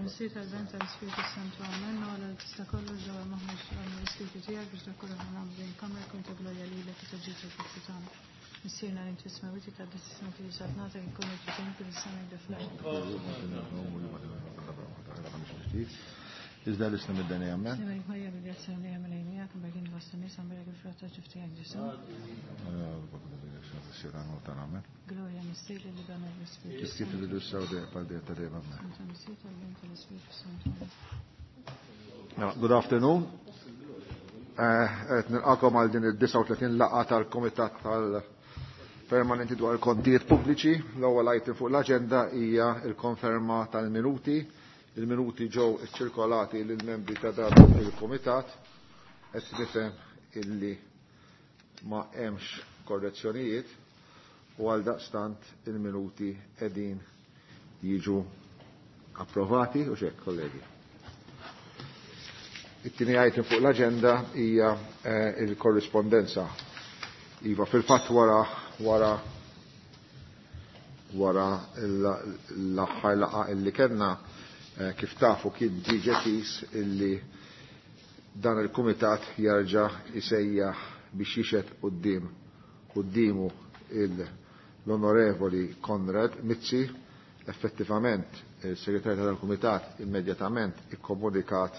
Missier tal-Ben tal-Ispirtu Santu Amen, għala tista' kollu ġewwa maħmuġ għall-Ispirtu tiegħek biex dak kollu nagħmlu din kamra jkun ta' glorja lilek u ta' ġid tal-Kristu tagħna. Missierna li inti smewiti ta' dis-isma tiġi saltnata jkun il-ġitin fil-sema Iżda l-isna mid-deni għammen. Sema Marija bil-grazzja li għamel għajnija, kum berkin vostra nisa, mberek il-frott ta' ġifti għak Ġesu. Gloria missier li dan l-Ispirtu. Kif il-bidu saw dejjem għal dejjem ta' dejjem amen. Missier tal-Ben tal-Ispirtu Santu. Good afternoon. Qed nilqakom għal din il-39 laqgħa tal-Kumitat tal-Permanenti dwar il-Kontijiet Pubbliċi. L-ewwel item fuq l-aġenda hija l-konferma tal-minuti. Il-minuti ġew iċċirkolati lill-membri ta' dan il-Kumitat. Qed nifhem illi ma hemmx korrezzjonijiet u għal daqstant il-minuti qegħdin jiġu approvati u xek, kollegi. It-tieni item fuq l-aġenda hija il-korrispondenza. Iva, fil-fatt wara wara wara l-aħħar laqgħa illi kellna kif tafu kien diġà kis illi dan il-kumitat jarġa' isejjaħ biex jixed quddiem quddiemu l-Onorevoli Konrad Mizzi. Effettivament il-segretarju tal-Kumitat immedjatament ikkomunikat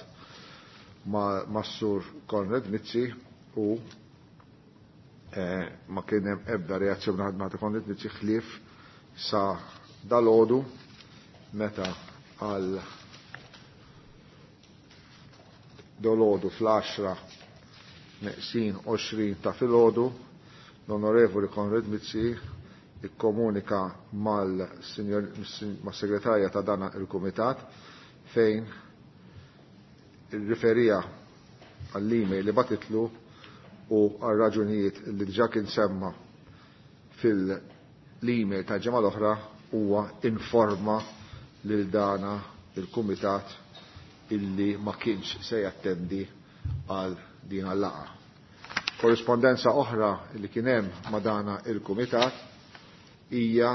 ma' Sur Konrad Mizzi u ma kien hemm ebda reazzjoni ma' Konrad Mizzi ħlief sa dalodu meta għal dolodu fl-10 neqsin 20 ta' filgħodu l-Onorevoli Konrad Mizzi ikkomunika mal-segretarja ta' dan il-Kumitat fejn riferija għall-email li batitlu u għal raġunijiet li diġà kien semma fil-email ta' ġimgħa l-oħra huwa informa lil dana il-Kumitat illi ma kienx se jattendi għal din għal-laqgħa. Korrispondenza oħra li kien hemm ma' dana il-Kumitat hija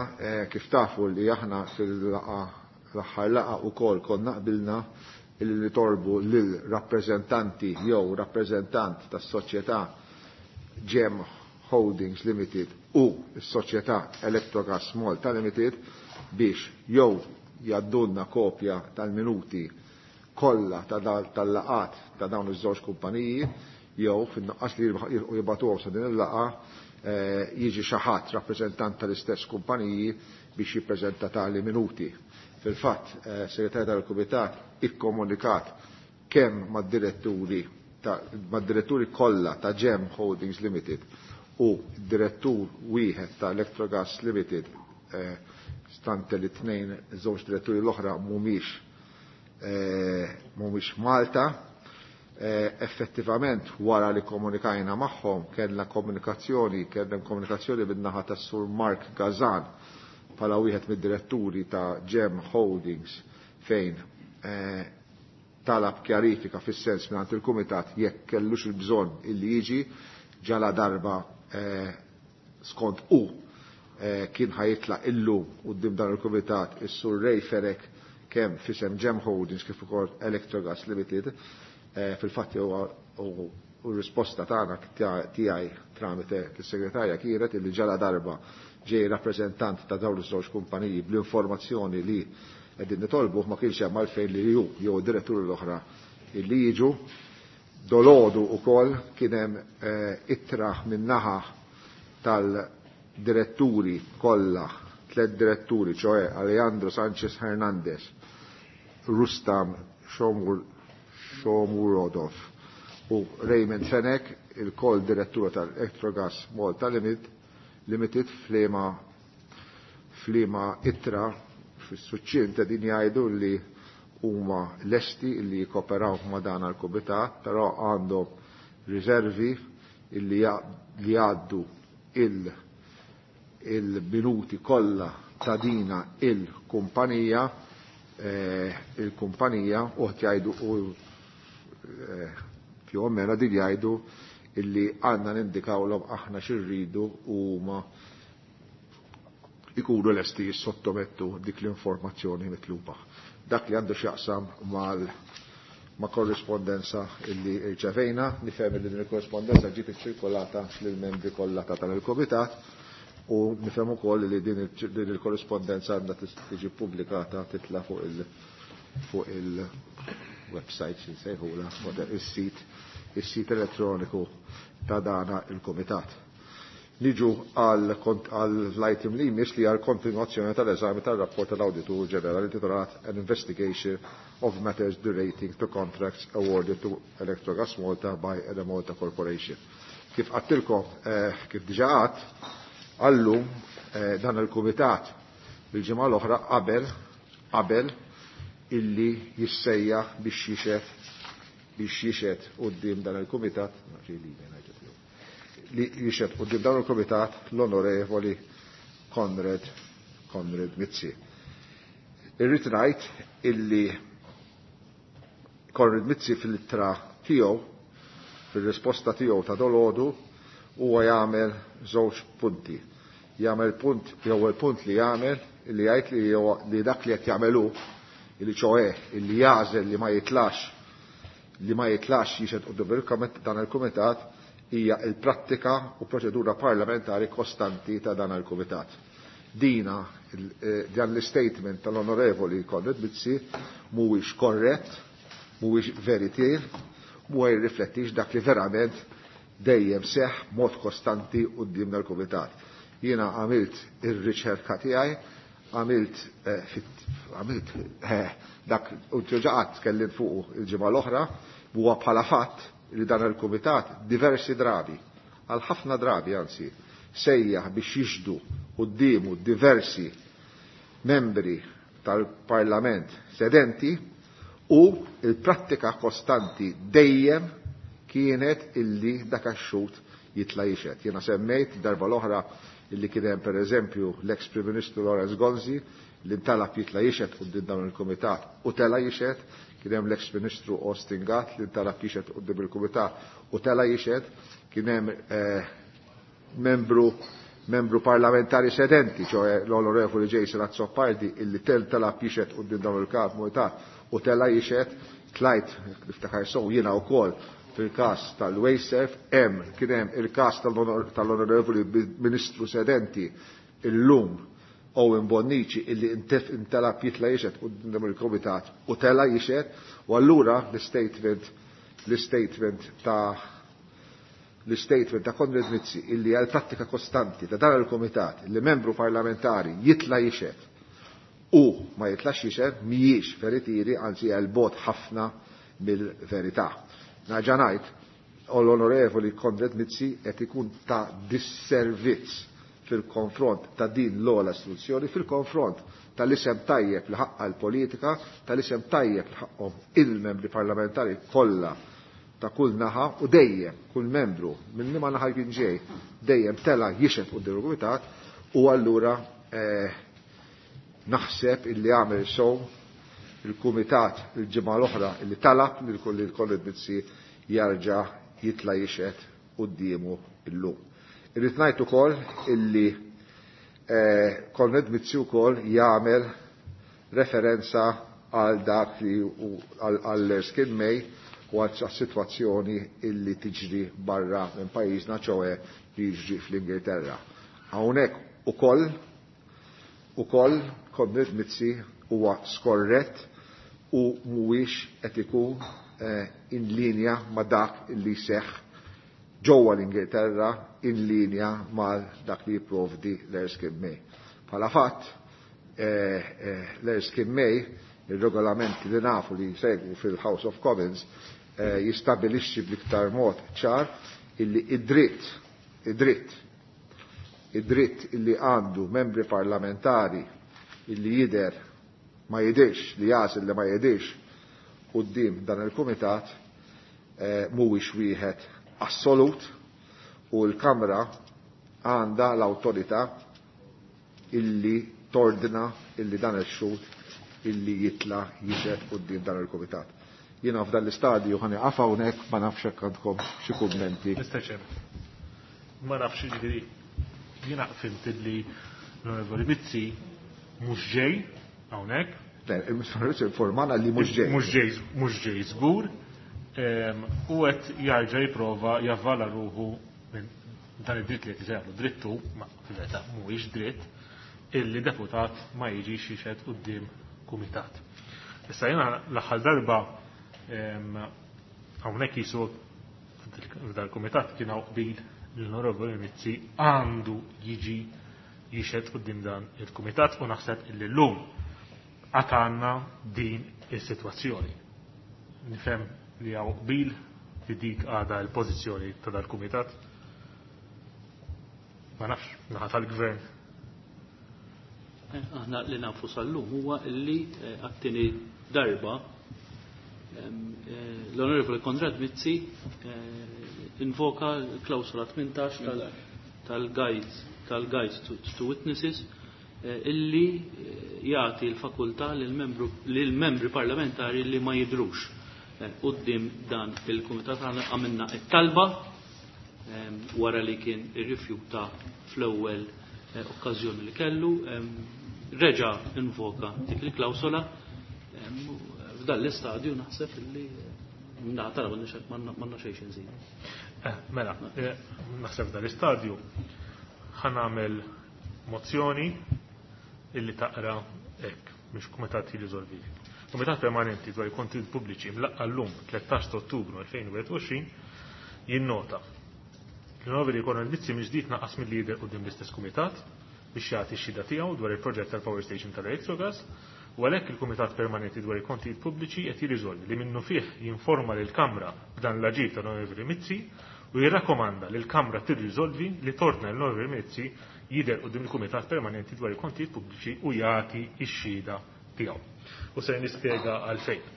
kif tafu li aħna fil-laqgħa l-aħħar laqgħa wkoll konna qbilna illi nitolbu lil rappreżentanti jew rappreżentant tas-soċjetà Gem Holdings Limited u s-soċjetà Electrogas Malta Limited biex jew jaddunna kopja tal-minuti kollha tal-laqat ta' dawn iż-żewġ kumpaniji jew fin-nuqqas li jibgħatuhom sa din il-laqgħa jiġi xi ħadd rappreżentant tal-istess kumpaniji biex jippreżenta tali minuti. Fil-fatt, segretarju tal-Kumitat ikkomunikat kemm mad-diretturi mad-diretturi kollha ta' Gem Holdings Limited u direttur wieħed ta' Electrogas Limited, stante li tnejn żewġ diretturi l-oħra mhumiex Malta. Effettivament wara li komunikajna magħhom kellna komunikazzjoni bin-naħa tas-Sur Mark Gazan bħala wieħed mid-diretturi ta' Gem Holdings fejn talab kjarifika fis-sens mingħand il-Kumitat jekk kellux il-bżonn illi jiġi ġala darba skont u kien ħajitlaq illum quddiem dan il-Kumitat is-Sur Ray Ferek kemm fisem Gem Holdings kif ukoll Electrogas Limited. Fil-fatt huwa u risposta tagħna tiegħi tramite l-segretarja kienet illi ġala darba ġej rappreżentant ta' dawn iż-żewġ kumpaniji bl-informazzjoni li qegħdin nitolbu ma kienx hemm għalfejn li ju jew diretturi l-oħra illi jiġu. Dolodu wkoll kien hemm ittra min-naħa tal-diretturi kollha, tliet diretturi, ċoe Alejandro Sanchez Hernandez, Rustam Shomurodov u Raymond Fenech, il-kol direttura tal-Electrogas Malta Limited flima ittra fis-suċċin ta' din jgħidu li huma lesti li jikoperaw ma' dan għal-kumitat, però għandhom riservi li jgħaddu il-minuti kollha ta' dina il-kumpanija il-kumpanija u jgħidu u più o meno din jgħidu illi għandna nindikawlhom aħna xirridu u huma ikunu lesti jissottomettu dik l-informazzjoni mitluba. Dak li għandu x'jaqsam ma' korrispondenza illi rċevejna, nifhem li din il-korrispondenza ġiet iċċirkolata lill-membri kollha ta' dan il-komitat u nifhem ukoll li din il-korrispondenza għandha tiġi pubblikata titla' fuq il-website xi nsejħulha, is-sit elettroniku ta' dana il-komitat. Niġu għall-item li jmiss li għal kontinuazzjoni tal-eżami tal-rapport tal-Awditur Ġenerali intitolat An Investigation of Matters Relating to Contracts Awarded to Electrogas Malta by Enemalta Corporation. Kif għattilkom, kif diġa għadt, għallum dan il-Kumitat bil-ġimgħa l-oħra qabel illi jissejjaħ biex jixed quddiem dan il-Kumitat, li jixed quddiem dan il-Kumitat l-Onorevoli Konrad Mizzi. Irrid ngħid illi Konrad Mizzi fil-ittra tiegħu, fil-risposta tiegħu ta' dolodu, huwa jagħmel żewġ punti. Jagħmel punt, l-ewwel punt li jagħmel li jgħid li dak li qed jagħmelu, li ċoe illi jagħżel li ma jitlax jixed quddiem dan il-kumitat hija l-prattika u proċedura parlamentari kostanti ta' dan il-kumitat. Dina dan l-statement tal-Onorevoli Konrad Mizzi mhuwiex korrett, mhuwiex veritier, mhuwa jirriflettix dak li verament dejjem seħ mod kostanti quddiem dal-kumitat. Jiena għamilt ir-riċerka tiegħi, għamilt dak u ġaqat tkellim fuq il-ġimgħa l-oħra, huwa bħala fatt li dan il-kumitat diversi drabi, għal ħafna drabi anzi, sejjaħ biex jixdu quddiemu diversi membri tal-Parlament sedenti u il-prattika kostanti dejjem kienet illi dak għax-xhud jitla' jixed. Jiena semmejt darba l-oħra illi kien hemm pereżempju l-ex Prim Ministru Lawrence Gonzi li ntalab jitla' jixed quddiem dawn il-kumitat u tela' jixed, kien hemm l-ex Ministru Austin Gatt li ntalab jixed quddiem il-kumitat u tela' jixed, kien hemm membru parlamentari sedenti, ċoe l-Onorevoli Jason Azzopardi, illi telab jixed quddiem dawn il-kumitat u tela' jixed, tlajt niftakar sew jiena wkoll fil-kas tal-Wasteserv, kien hemm il-kas tal-Onorevoli Ministru sedenti illum Owen Bonnici illi intelab jitla jixed quddiem il-Kumitat u tela jixed, u allura l-statement ta' Konrad Mizzi illi għal prattika kostanti ta' dan il-Kumitat illi membru parlamentari jitla jixed u ma jitlax jixed mhijiex veritieri, anzi għal bot ħafna mill-verità. Nerġa' ngħid, l-Onorevoli Konrad Mizzi qed ikun ta' disservizz fil-konfront ta' din l-ogħla istituzzjoni, fil-konfront tal-isem tajjeb li ħaqqa l-politika, tal-isem tajjeb li ħaqhom il-membri parlamentari kollha ta' kull naħa u dejjem kull membru minn liema naħa jkun ġej dejjem tela jixed quddiem il-kumitat u allura naħseb illi għamel sew il-kumitat il-ġimgħa l-oħra illi talab lil Konrad Mizzi jarġa' jitla' jixed quddiemu illum. Irrid ngħid ukoll illi Konrad Mizzi wkoll jagħmel referenza għal dak li għal Erskine May u għal sitwazzjoni illi tiġri barra minn pajjiżna, ċoe li jiġri fl-Ingilterra. Hawnhekk ukoll Konrad Mizzi huwa skorrett u mhuwiex qed ikun in linja ma' dak illi seħħ ġewwa l-Ingilterra, in linja ma' dak li jipprovdi l-Erskine May. Bħala fatt, l-Erskine May Ir-regolamenti li nafu li jsegwu fil-House of Commons jistabilixxi bl-iktar mod ċar illi id-dritt illi għandu membri parlamentari illi jider ma jidirx, li jasil li ma jidirx quddiem dan il-kumitat mhuwiex wieħed assolut u l-Kamra għandha l-awtorità illi tordna illi dan il-xhud illi jitla jixhed quddiem dan il-kumitat. Jiena f'dan l-istadju ħani qafa hawnhekk, ma nafx hekk għandkom xi kummenti. Mr. Chairman, ma nafx, jiġifieri jiena fhimt illi l-Onorevoli Mizzi mhux ġej hawnhekk. Le, il-Mr. Mizzi informana li mhux ġej. Mhux ġej, mhux ġej żgur. U qed jarġa' jipprova javvala ruħu minn dan id-dritt li qed isejjaħlu drittu, ma fil-verità mhuwiex dritt, illi deputat ma jiġix jixhed quddiem kumitat. Issa jiena l-aħħar darba hawnhekk jisu f'dal-kumitat kien hawn qbil l-Onorevoli Mizzi għandu jiġi jixhed quddiem dan il-kumitat u naħseb illi llum għad għandna din is-sitwazzjoni. Nifhem li hawn qbil li dik għadha l-pożizzjoni ta' dal-kumitat. Ma nafx, naħa tal-gvern. Aħna li nafu sal-lum huwa illi għat-tieni darba l-Onorevoli Konrad Mizzi invoka l-klawsola 18 tal-guides to witnesses illi jagħti l-fakultà lill-membri parlamentari li ma jidrux quddiem dan il-kumitat. Aħna għamilna it-talba wara li kien irrifjuta fl-ewwel okkażjoni li kellu, reġa' invoka dik il-klawsola. F'dan l-istadju naħseb illi naħa tara m'għandna xejn nżidu. Mela, naħseb f'dan l-istadju ħa nagħmel mozzjoni illi taqra hekk biex kumitat jirriżolvi. Kumitat Permanenti dwar il-Kontijiet Pubbliċi mlaqqa llum 13 ta' Ottubru 2021 jinnota l-Onorevoli Konrad Mizzi mill-ġdid naqas mill-lider quddiem l-istess kumitat biex jagħti x-xhieda tiegħu dwar il-proġett tal-Power Station tal-Electrogas u għalhekk il-Kumitat Permanenti dwar il-Kontijiet Pubbliċi qed jirriżolvi li minnu fih jinforma lill-Kamra b'dan l-aġir tal-Onorevoli Mizzi u jirrakkomanda li l-Kamra tirriżolvi li torna l-Onorevoli Mizzi jidher quddiem il-Kumitat Permanenti dwar il-Kontijiet Pubbliċi u jagħti x-xhieda tiegħu. U se nispjega għalfejn.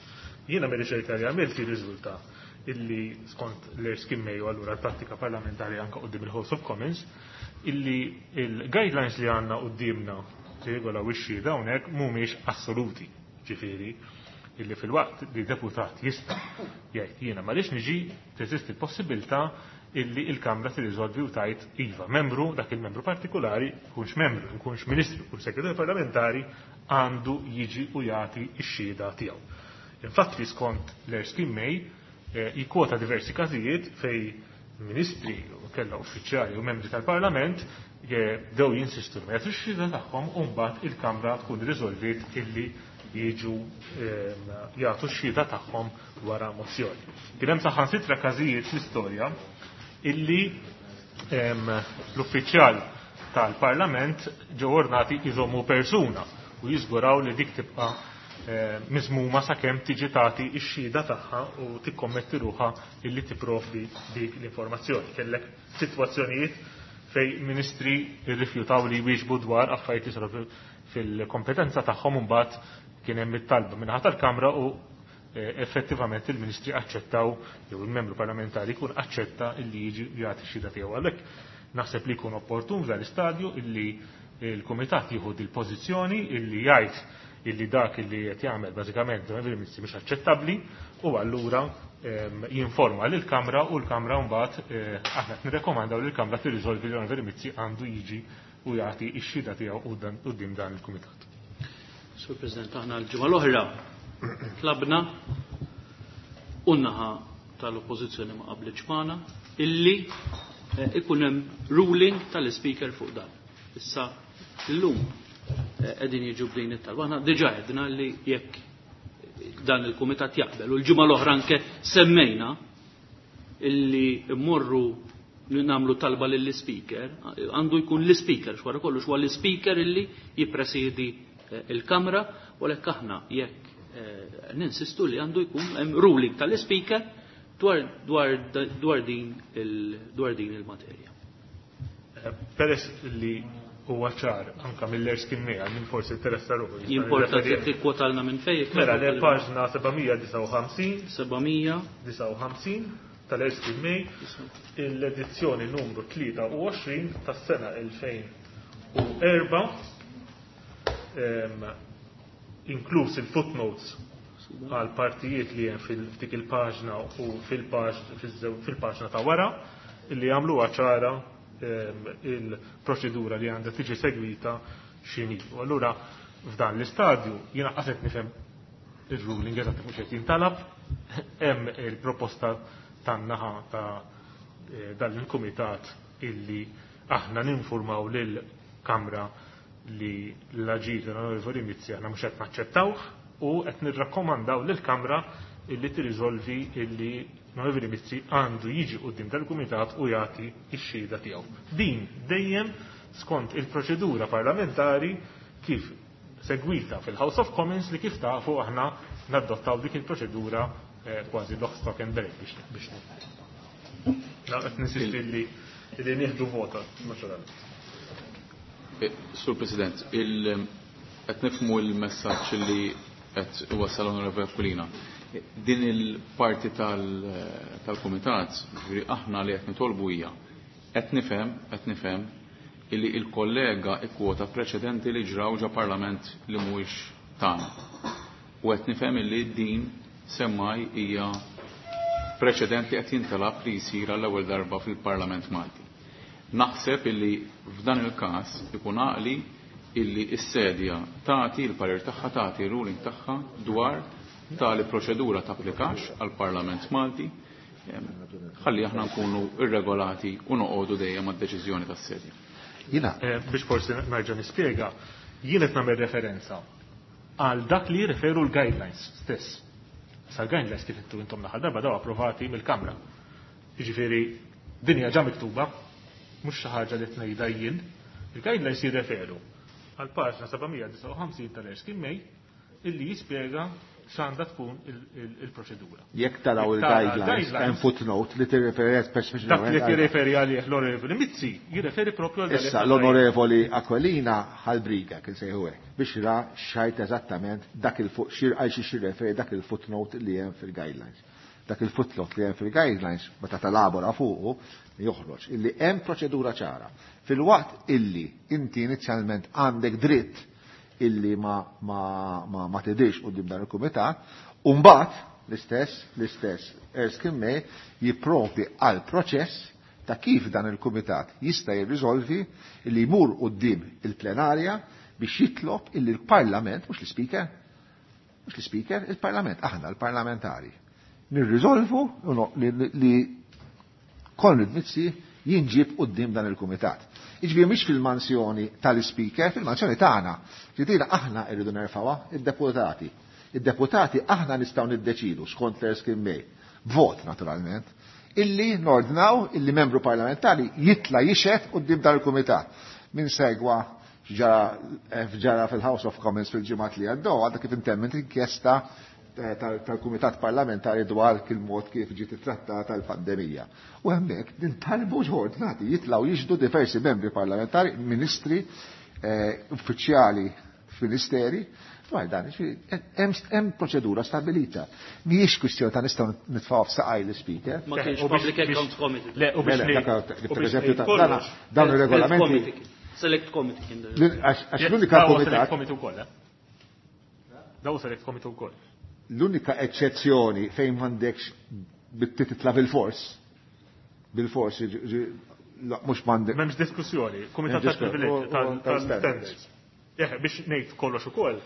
Jiena mir-riċerka li għamilt jirriżulta illi skont l-Erskine May u allura l-prattika parlamentari anka quddiem il-House of Commons illi il-guidelines li għandna quddiemna li regolaw ix-xhieda hawnhekk mhumiex assoluti. Ġifieri illi fil-waqt li deputat jista' jgħid jiena m'għaliex niġi, teżisti l-possibilità illi il-Kamra tirriżolvi u tajt iva membru, dak il-membru partikolari, kunx membru, kunx ministru, kunx segretarju parlamentari, għandu jiġi u jagħti x-xhieda tiegħu. Infatti skont l-Erskine May jikkwota diversi każijiet fej ministri u kella uffiċjali u membri tal-Parlament dew jinsistu ma jagħtux x-xhieda tagħhom u mbagħad il-Kamra tkun riżolviet illi jiġu jagħtu x-xhieda tagħhom wara mozzjoni. Kien hemm saħansitra każijiet fl-istorja illi l-uffiċjal tal-Parlament ġew ordnati jżommu persuna u jiżguraw li dik tibqa' miżmuma sakemm tiġi tagħti x-xhieda tagħha u tikkommetti ruħha illi tipprovdi dik l-informazzjoni. Kellek sitwazzjonijiet fej ministri rrifjutaw li jwieġbu dwar affarijiet li saru fil-kompetenza tagħhom, u mbagħad kien hemm it-talba min-naħa tal-Kamra u effettivament il-ministri aċċettaw jew il-membru parlamentari jkun aċċetta illi jiġi jagħti x-xhieda tiegħu. Għalhekk naħseb li jkun opportun f'dan l-istadju illi il-Kumitat jieħu il-pożizzjoni illi jgħid illi dak illi qed jagħmel bażikament il-ministri mhux aċċettabbli u allura jinforma lill-Kamra u l-Kamra mbagħad aħna qed nirrekomandaw li l-Kamra tirriżolvi li l-Onorevoli Mizzi għandu jiġi u jagħti x-xhieda tiegħu quddiem dan il-Kumitat. Sur President, aħna l-ġimgħa l-oħra tlabna u n-naħa tal-Oppożizzjoni ma qablitx magħna illi ikun hemm ruling tal-Speaker fuq dan. Issa llum qegħdin jiġu b'din it-talba. Aħna diġà għedna li jekk dan il-kumitat jaqbel u l-ġimgħa l-oħra anke semmejna illi mmorru nagħmlu talba lill-Speaker, għandu jkun l-Speaker, xwara kollox huwa l-Speaker illi jippresidi il-Kamra, u għalhekk aħna jekk Ninsistu li għandu jkun hemm ruling tal-Ispeaker dwar din il-materja. Peress li huwa ċar anka mill-Erskine May minn forsi interessa ruħu. Jimporta tikkwotalna minn fejn. Mela le paġna 759 759 tal-Erskine May, l-edizzjoni numru 23 tas-sena 2004, inkluż il-footnotes għal partijiet li hemm fil-dik il-paġna u fil-paġna ta' wara, illi jagħmluha ċara il-proċedura li għandha tiġi segwita x'inhi. U allura f'dan l-istadju jiena qas qed nifhem ir-ruling eżatt fuq x'qed jintalab, hemm il-proposta tan-naħa ta' dan il-kumitat illi aħna ninformaw lill-Kamra li l-aġir tal-Onorevoli Mizzi aħna mhux qed naċċettawh u qed nirrakkomandaw lill-Kamra illi tirriżolvi illi l-Onorevoli Mizzi għandu jiġi quddiem dal-kumitat u jagħti x-xhieda tiegħu. Din dejjem skont il-proċedura parlamentari kif segwita fil-House of Commons li kif tafu aħna nadottaw dik il-proċedura kważi lock, stock and barrel biex qed ninsisti li nieħdu vota naturalment. Sur President, qed nifhmu l-messaġġ li qed iwassal l-Onorevoli Aquilina. Din il-parti tal-Kumitat, ġifieri aħna li qed nitolbu hija qed nifhem illi il-kollega ikkwota preċedenti li ġraw ġa parlament li mhuwiex tagħna. U qed nifhem illi din semmaj hija preċedent li qed jintalab li jsir għall-ewwel darba fil-Parlament Malti. Naħseb illi f'dan il-każ ikun għaqli illi s-sedja tagħti l-parir tagħha, tagħti r-ruling tagħha dwar tali proċedura tapplikax għall-Parlament Malti, ħalli aħna nkunu irregolati u noqogħdu dejjem mad-deċiżjoni tas-sedja. Jiena biex forsi nerġa' nispjega, jien qed nagħmel referenza għal dak li jirreferu l-guidelines stess. Sa l-guidelines kif intu intom l-aħħar darba daw approvati mill-Kamra. Jiġifieri din hija ġa miktuba, mhux xi ħaġa li tnejda jien. Il-guidelines jirreferu għal paġna 759 tal-Erskine May illi jispjega x'għandha tkun il-proċedura. Jekk taraw Jekk tara il-guidelines, il-guidelines, hemm footnote li tirreferi speċifikament Dak li għal- tirreferi għalih l-Onorevoli Mizzi jirreferi propju għal Issa dak li l-Onorevoli Aquilina ħalbriga kien sejħu hekk biex ra xajt eżattament dak il-fuq xir għal xi xirreferi dak il-footnote li hemm fil-guidelines. Dak il-footnote li hemm fil-guidelines meta talabora fuqu joħroġ illi hemm proċedura ċara. Fil-waqt illi inti inizjalment għandek dritt illi ma tidhirx quddiem dan il-kumitat, u mbagħad l-istess Erskine May jipprovdi għal proċess ta' kif dan il-kumitat jista' jirriżolvi illi jmur quddiem il-plenarja biex jitlob illi l-Parlament, mhux l-Speaker, mhux l-Speaker, il-Parlament, aħna l-parlamentari, nirriżolvu li Konrad Mizzi jinġib quddiem dan il-kumitat. Jiġifieri mhix fil-mansjoni tal-Speaker, fil-mansjoni tagħna. Ġifieri aħna rridu nerfgħuha id-deputati. Id-deputati aħna nistgħu niddeċidu skont l-Erskine May, vot naturalment, illi nordnaw illi membru parlamentari jitla jixhed quddiem dan il-kumitat. Min segwa ġara fil-House of Commons fil-ġimgħat li għaddew, għadha kif intemmet inkjesta tal-Kumitat Parlamentari dwar kil-mod kif ġiet ittrattata l-pandemija. U hemmhekk nintalbu ġordnati jitlgħu jixhdu diversi membri parlamentari, ministri, uffiċjali f'ministeri, dwar dan, jiġifieri, hemm proċedura stabilita. Mhijiex kwistjoni ta' nistgħu nitfgħu f'saqaj l-speaker. Ma kienx U biex Public biex Accounts Committee. Le, u biex Le, le, ngħid- dak u per biex eżempju, ngħid kollox. dawn ir-regolamenti. Committee. Select Committee kien dan. Għax Yes, l-unika daw kumitat Select Committee wkoll, eh? Daw Select Committee wkoll. L-unika eċċezzjoni fejn m'għandekx titla bil-fors, bil-fors, la, mhux m'għandek. M'hemmx diskussjoni, Kumitat M'hemmx diskussjoni. tal-Privileġġi, Tal-standards. tal-standards. Eħe, biex ngħid kollox ukoll,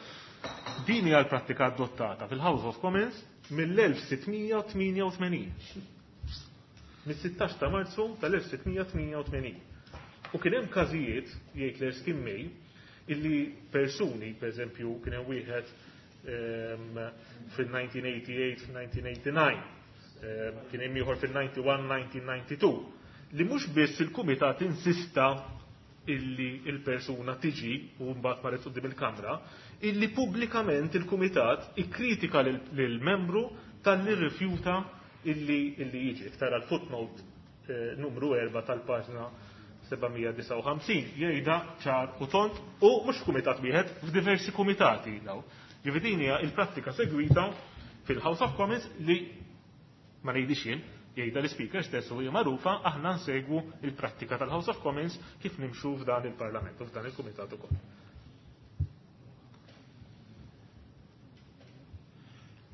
din hija l-prattika adottata fil-House of Commons mill-1688. Mis-16 ta' Marzu tal-1688. U kien hemm każijiet, jgħid l-Erskine May, illi persuni, per eżempju, kien hemm wieħed fil-1988, fil-1989, kien hemm ieħor fil-91, 1992, li mhux biss il-kumitat insista illi il-persuna tiġi u mbagħad marret quddiem il-Kamra, illi pubblikament il-Kumitat ikkritika lill-membru talli rrifjuta illi illi jiġi. Tara l-footnote numru 4 tal-paġna 759 jgħidha ċar u tond u mhux f'kumitat wieħed, f'diversi kumitati daw. Ġifieri din hija il-prattika segwita fil-House of Commons li ma ngħidix jien, jgħidha l-Speaker stess u hija magħrufa aħna nsegwu il-prattika tal-House of Commons kif nimxu f'dan il-Parlament u f'dan il-Kumitat ukoll.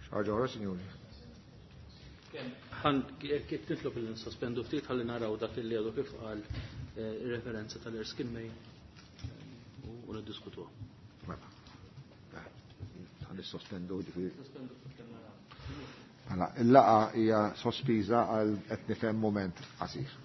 Xi ħaġa oħra, sinjuri? Kif titlob li nsospendu ftit ħalli naraw dak li għadu kif qal referenza tal-Erskine May u niddiskutuha. Mela. Ħa nissospendu ġifieri. Mela, il-laqgħa hija sospiża għal qed nifhem mument qasir.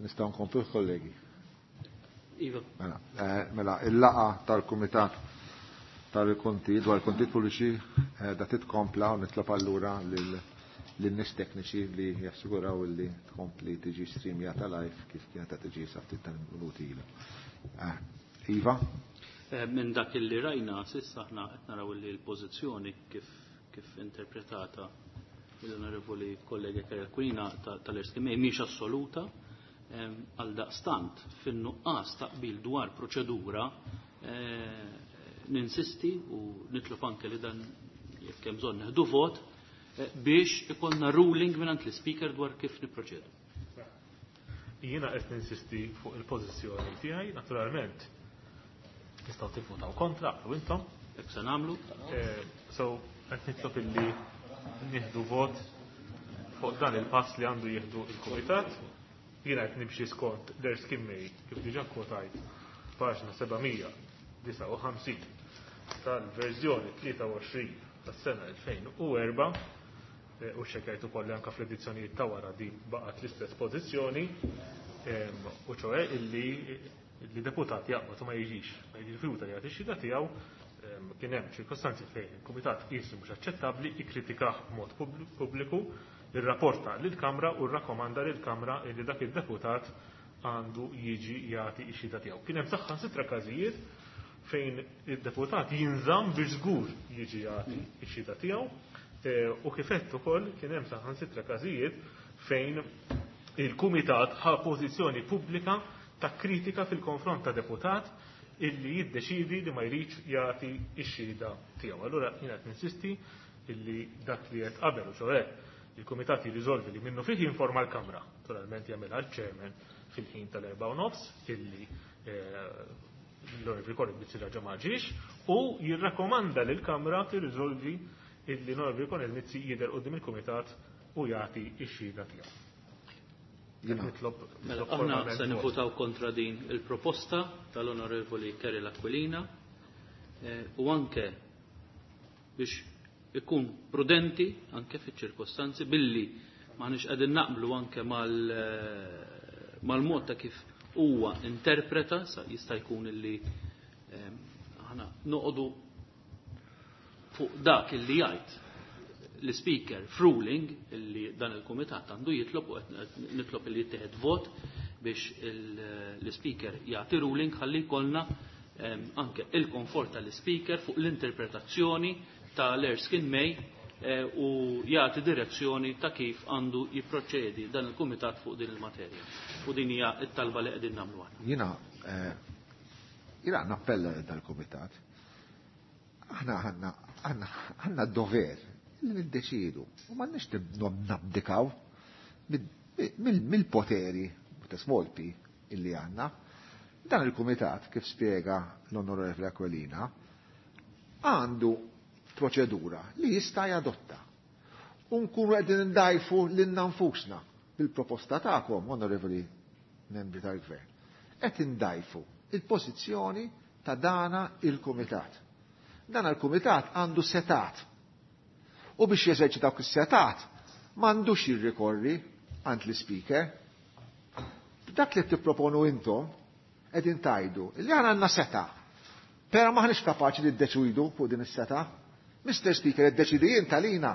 Nistgħu nkomplu kollegi. Iva. Mela, mela il-laqgħa tal-Kumitat tal-Konti dwar il-kontijiet pubbliċi da titkompla u nitlob allura lin-nies tekniċi li jassiguraw li tkompli tiġi streamjata live kif kienet qed tiġi sa ftit tal-minuti ilu. Iva? Minn dak illi rajna s'issa aħna qed naraw li l-pożizzjoni kif interpretata mill-onorevoli kollega Kerry Aquilina tal-Erskine May mhix assoluta, għal daqstant fin-nuqqas ta' qbil dwar proċedura ninsisti u nitlob anke li dan jekk hemm bżonn neħdu vot biex ikollna ruling mingħand l-ispeaker dwar kif nipproċedu. Jiena qed ninsisti fuq il-pożizzjoni tiegħi, naturalment tistgħu tivvutaw kontra u intom. Hekk se nagħmlu. So qed nitlob illi nieħdu vot fuq dan il-pass li għandu jieħdu il-Kumitat. Jiena qed nimxi skont l-Erskine May kif diġà kwotajt paġna 759 tal-verżjoni 23 tas-sena 2004, u xekajt ukoll anke fl-edizzjonijiet ta' wara din baqgħet l-istess pożizzjoni, u ċoe illi li deputat jaqbad u ma jiġix, ma jirrifjuta li jagħti x-xhieda tiegħu, kien hemm ċirkostanzi fejn il-Kumitat qis li mhux aċċettabbli, ikkritikah b'mod pubbliku, irrapporta lill-Kamra u rrakkomanda lill-Kamra li dak id-deputat għandu jiġi jagħti x-xhieda tiegħu. Kien hemm saħħansitra każijiet fejn id-deputat jinżamm biex żgur jiġi jagħti x-xhieda tiegħu, u kif għedt ukoll kien hemm saħħansitra każijiet fejn il-Kumitat ħa pożizzjoni pubblika ta' kritika fil-konfront ta' deputat illi jiddeċidi li ma jridx jagħti x-xhieda tiegħu. Allura jien qed ninsisti illi dak li qed qabel, u ċoe il-Kumitat jirriżolvi li minnu fih jinforma l-Kamra, naturalment jagħmilha l-Chairman fil-ħin tal-erba' u nofs illi l-Onorevoli Konrad Mizzi raġa' ma ġiex, u jirrakkomanda lil Kamra tirriżolvi illi l-Onorevoli Konrad Mizzi jidher quddiem il-Kumitat u jagħti x-xhieda tiegħu. Jiena. Nitlob Mela, nitlob aħna formalment se vot. nivvutaw kontra din il-proposta tal-Onorevoli Kerry Aquilina, u anke biex ikun prudenti anke fiċ-ċirkostanzi billi m'aħniex qegħdin naqblu anke mal-mod ta' kif huwa interpreta, sa jista' jkun illi aħna noqogħdu fuq dak illi jgħid l-speaker f'ruling illi dan il-kumitat għandu jitlob, u qed nitlob illi jittieħed vot biex l-speaker jagħti ruling ħalli jkollna anke il-komfort tal-speaker fuq l-interpretazzjoni tal-Erskine May, u jagħti direzzjoni ta' kif għandu jipproċedi dan il-kumitat fuq din il-materja. U din hija t-talba li qegħdin nagħmlu aħna. Jiena nappella dal-kumitat. Aħna għandna d-dover li niddeċidu u m'għandniex nabdikaw mill-poteri ta' small p illi għandna. Dan il-kumitat, kif spjega l-Onorevole Aquilina, għandu proċedura li jista' jadotta. U nkunu qegħdin ndajfu lilna nfusna bil-proposta tagħkom, onorevoli membri tal-Gvern. Qed indajfu il-pożizzjoni ta' dana il-kumitat. Dana il-kumitat għandu setat. U biex jeżerċita dawk is-setat m'għandux jirrikorri għand l-ispeaker. Dak li tipproponu intom qegħdin tajdu li aħna għandna seta. Però m'aħniex kapaċi li ddeċidu fuq din is-seta. Mr. Speaker, iddeċidi int għalina.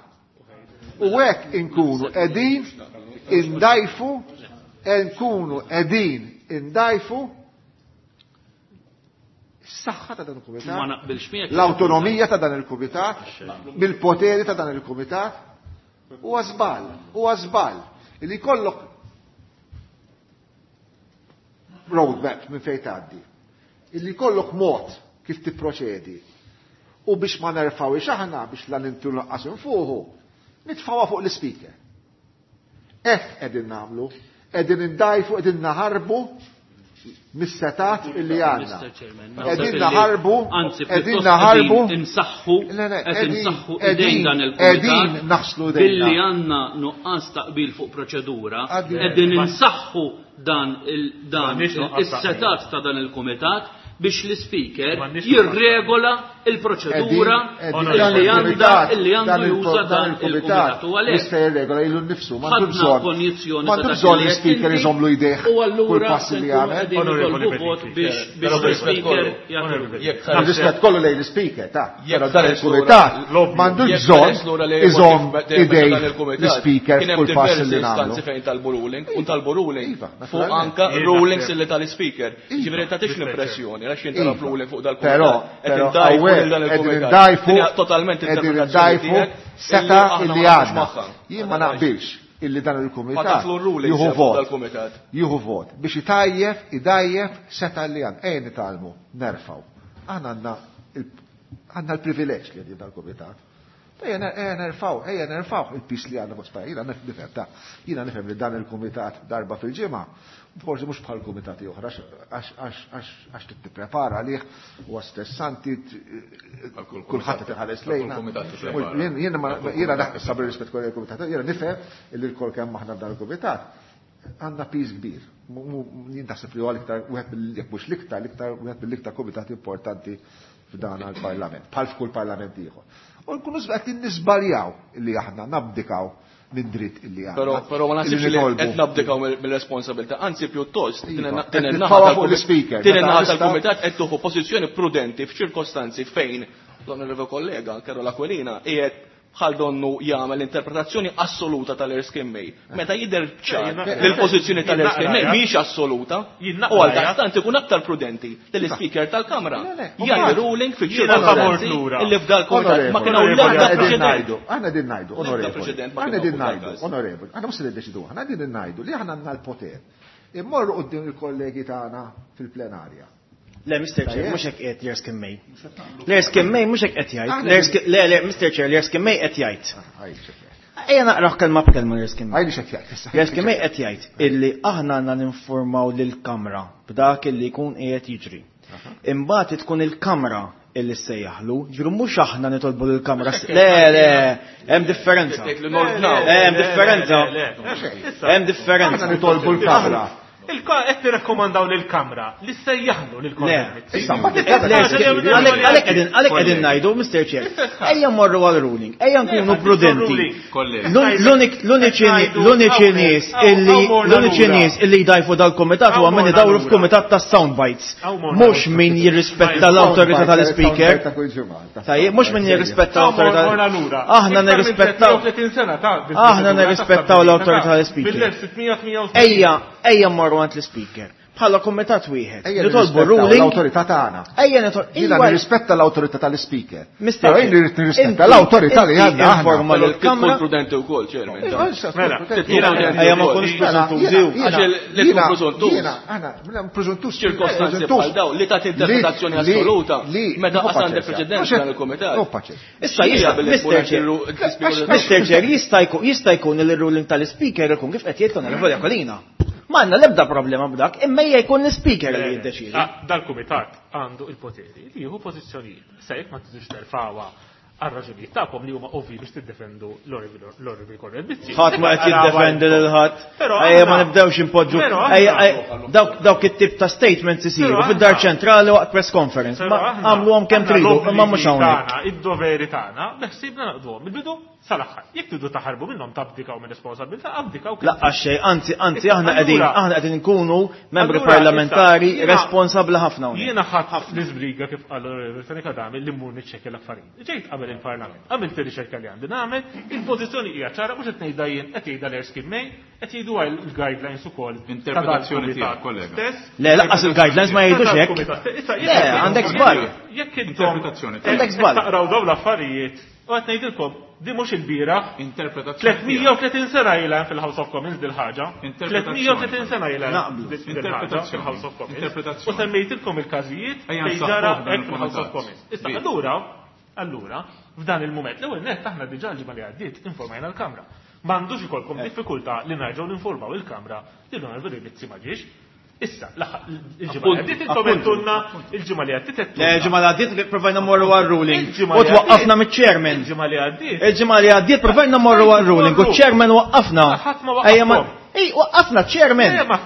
U hekk inkunu qegħdin indajfu, nkunu qegħdin indajfu s-saħħa ta' dan il-kumitat, Ma naqbilx miegħek. l-awtonomija ta' dan il-kumitat, mill-poteri ta' dan il-kumitat, huwa żball, huwa żball li jkollok roadmap minn fejn tgħaddi, illi jkollok mod kif tipproċedi. U biex ma nerfawix aħna biex la nintu lanqas infuħu, nitfawha fuq l-ispeaker. Hekk qegħdin nagħmlu, qegħdin indajfu, qegħdin naħarbu mis-setat illi għandna. Mister Chairman, Qegħdin naħseb illi naħarbu, anzi, qegħdin pjuttost naħarbu. qegħdin insaħħu, Le, le, qed qegħdin, insaħħu qegħdin idejn dan il-kumitat qegħdin naħslu idejna. Billi għandna nuqqas taqbil fuq proċedura, Għaddi. qegħdin insaħħu dan M'għandniex nuqqas taqbil. is-setat ta' dan il-kumitat biex l-ispeaker M'għandniex nuqqas jirregola taqbil. il-proċedura li għandha li għandu juża dan il-kumitat. U għalhekk jista' jirregola lilu nnifsu, m'għandu ħadna bżonn. konjizzjoni M'għandu ta' dak bżonn li qed l-ispeaker inti, iżommlu jdejh u allura kull pass se li nkunu jagħmel. qegħdin Onorevoli nitolbu vot Bedingfield. biex biex Però rispett l-ispeaker kollu. jagħti Onorevoli Jekk Rispett kollu lejn l-ispeaker, ta' Jekk però dan ħares lura- il-kumitat l-obbligu. m'għandux Jekk bżonn ħares lura li iżomm kif dejjem meta idejh dan il-kumitat, l-ispeaker kien hemm kull pass diversi li nagħmlu. istanzi fejn talbu ruling, u talbu ruling Iva, fuq naturalment. anka Jien rulings naħseb. illi tal-speaker. Ġifieri tagħtix l-impressjoni għax jien talab Iva. ruling fuq dal-kumitat. Però, qed però, indajfu hawnhekk lil dan qegħdin il-kumitat. indajfu- Din hija totalment qegħdin interpretazzjoni indajfu tiegħek seta aħna illi ma naqblux għandna. magħha. Jien ma naqbilx illi dan Ma il-kumitat taflu r-rulings jieħu fuq vot. dal-kumitat. Jieħu vot biex itajjef, idajjef seta li għandna. Ejja nitgħallmu, nerfgħu. Aħna għandna il- għandna l-privileġġ li għandna dal-kumitat. Ejja ner- ejja nerfgħu, ejja nerfgħu il-pis li għandna fuq spalla. Jiena nifhem ta' jiena nifhem li dan il-kumitat darba fil-ġimgħa, forsi mhux bħal kumitati oħra għax- għax għax għax għax tipprepara għalih huwa stressanti Għal kull kulħadd kumitat. qed iħares Għal kull lejna. kumitat tipprepara. Jien- Jiena ma- jiena naħseb rispett kollu il-kumitat, jiena nifhem illi l-kol kemm aħna f'dan il-kumitat għandna piż kbir. Jien taħseb li huwa l-iktar wieħed mill jekk mhux l-iktar, l-iktar wieħed mill-iktar kumitati importanti f'dan il-parlament, bħal f'kull parlament ieħor. U nkunu qed nisbaljaw illi aħna nabdikaw minn dritt illi għandna. Però però ma illi naħsibx li nitolbu. qed nabdikaw mill-responsabilità, anzi pjuttost din Iva, in- qed din in-naħa nitfgħuha fuq tal-kumitat l-ispeaker. din Meta in-naħa nista' tal-kumitat qed tieħu pożizzjoni prudenti f'ċirkostanzi fejn l-onorevoli kollega Carola Aquilina qiegħed bħal donnu jagħmel interpretazzjoni assoluta tal-Erskine May. Meta jidher ċar li l-pożizzjoni tal-Erskine May mhix assoluta, Jien u naqra, għal daqstant ikun aktar prudenti li l-ispeaker tal-Kamra Le, le, jagħti mbagħad- ruling Jiena favor fiċ-ċirkostanzi lura. illi f'dal kumitat ma kien hawn Onorevoli, l-ebda aħna qegħdin preċedent. ngħidu, aħna qegħdin ngħidu, L-ebda onorevoli, preċedent ma aħna kien hawn qegħdin fuq ngħidu, dal-każ. onorevoli, aħna mhux se niddeċidu, aħna qegħdin ngħidu li aħna għandna l-poter. Immorru quddiem il-kollegi tagħna fil-plenarja. Le, Mr. Chair, Tajjeb. mhux hekk qed l-Erskine May. L-Erskine May mhux hekk qed jgħid. Aħna L-Erskine- Le, le, Mr. Chair, l-Erskine May qed jgħid. Għajli x'qed jgħid. Ejja naqraħ kelma b'kelma l-Erskine May. Għajli x'qed jgħid. issa. L-Erskine May qed jgħid illi aħna għandna ninformaw lill-Kamra b'dak illi jkun qiegħed jiġri. Imbagħad tkun il-Kamra illi ssejjaħlu, ġifieri mhux aħna nitolbu lill-Kamra. Le, le, hemm differenza. Tgħid li nordnaw. Hemm differenza. Hemm differenza. Aħna nitolbu l-Kamra. Qed tirrakkomandaw lill-Kamra li sejjaħlu lil Le. Issa, mbagħad Għalek għalek qegħdin ngħidu, Mr. Chair, ejja mmorru għal ruling, ejja nkunu prudenti. Kollegi. L-uniċi nies illi l-uniċi nies illi jdajfu dal-komitat huwa min idawru f'kumitat ta' sound bites. Mhux min jirrispetta l-awtorità tal-speaker. Tajjeb, mhux min jirrispetta l-awtorità. Aħna nirrispettaw. Aħna nirrispettaw l-awtorità tal-speaker. Bil-1688. Ejja, ejja mmorru għand l-speaker. Bħala komitat wieħed. Ejja Nitolbu nirrispettaw ruling. l-awtorità tagħna. Ejja nitolbu. Jiena nirrispetta l-awtorità tal-speaker. Mr. Però jien irrid nirrispetta l-awtorità li għandna aħna. Informa Però lill-Kamra. tkun prudenti wkoll, Chairman. Mela, jiena- Ejja ma nkunux preżuntużi. Għax li tkun preżuntuż. Jiena, aħna, mela, preżuntuż. Ċirkostanzi bħal dawn li tagħti interpretazzjoni assoluta meta qas għandek preċedent dan il-kumitat. Issa jista' Mr. Chair. Mr. Chair, jista' jkun jista' jkun li l-ruling tal-speaker ikun kif qed jgħid l-Onorevoli Aquilina. M'għandna l-ebda problema b'dak, imma hija jkun l-speaker li jiddeċiedi. Ah, Dal-kumitat għandu il-poteri li jieħu pożizzjonijiet. Se jekk ma tiġux terfawha għal raġunijiet tagħkom li huma ovvi biex tiddefendu l-Onorevoli Konrad Mizzi. Ħadd ma qed jiddefendi lil ħadd. Però Ejja ma aħna- nibdewx impoġġu. Però aħna- Ejja ejja, dawk dawk it-tip ta' statements isiru Però fid-dar aħna- ċentrali waqt press conference. Però Ma aħna- għamluhom kemm aħna tridu, imma mhux l-obbligi hawnhekk. tagħna, Id-doveri tagħna, beħsibna naqduhom mill-bidu sal-aħħar. Jekk tridu taħarbu minnhom tabdikaw minn responsabilità, abdikaw kemm Laqqa xejn, anzi, anzi aħna qegħdin Allura- aħna qegħdin nkunu membri Allura, parlamentari issa, jiena- responsabbli ħafna hawnhekk. Jiena ħadd l-iżbriga kif qal l-Onorevoli Fenech Adami li mmur niċċekkja l-affarijiet. Ġejt qabel il-Parlament, għamilt ir-riċerka li għandi nagħmel, il-pożizzjoni hija ċara mhux qed ngħidha jien, qed jgħidha l-Erskine May, qed jgħidu l-guidelines ukoll. ta' Interpretazzjoni dal-kumitat tiegħek, kollega. Stess. Le, lanqas il-guidelines ma jgħidux Ta' hekk. dal-kumitat stess. Issa, Le, jekk- għandek żball. Jekk intom Interpretazzjoni tiegħek. Għandek żball. Taqraw dawn l-affarijiet u qed ngħidilkom di mhux il-bieraħ Interpretazzjoni. tiegħek. 330 sena ilha fil-House of Commons dil-ħaġa. Interpretazzjoni. 330 sena ilha Naqblu. dil-ħaġa Interpretazzjoni. fil-House of Commons. Interpretazzjoni. U semmejtilkom il-każijiet Ejja fejn nsaħħuh ġara dan hekk fil-House of il-kumitat. Commons. Issa Bi. allura, allura, f'dan il-mument, l-ewwel nett aħna diġà l-ġimgħa li għaddiet informajna l-Kamra. M'għandux ikolkom diffikultà li nerġgħu ninformaw il-Kamra li l-Onorevoli Mizzi ma ġiex. Issa, il-ġimgħa li għaddiet intom għedtulna, il-ġimgħa li għaddiet Le, għedtulna. ġimgħa li għaddiet provajna mmorru għal ruling. Il-ġimgħa U li twaqqafna għaddiet. miċ-chairman. Il-ġimgħa li għaddiet. Il-ġimgħa li għaddiet provajna mmorru għal ruling u ċ-chairman waqqafna. Ħadd ma Ejja ma waqqafkom. Ej, waqqafna ċ-chairman. Eh, ma-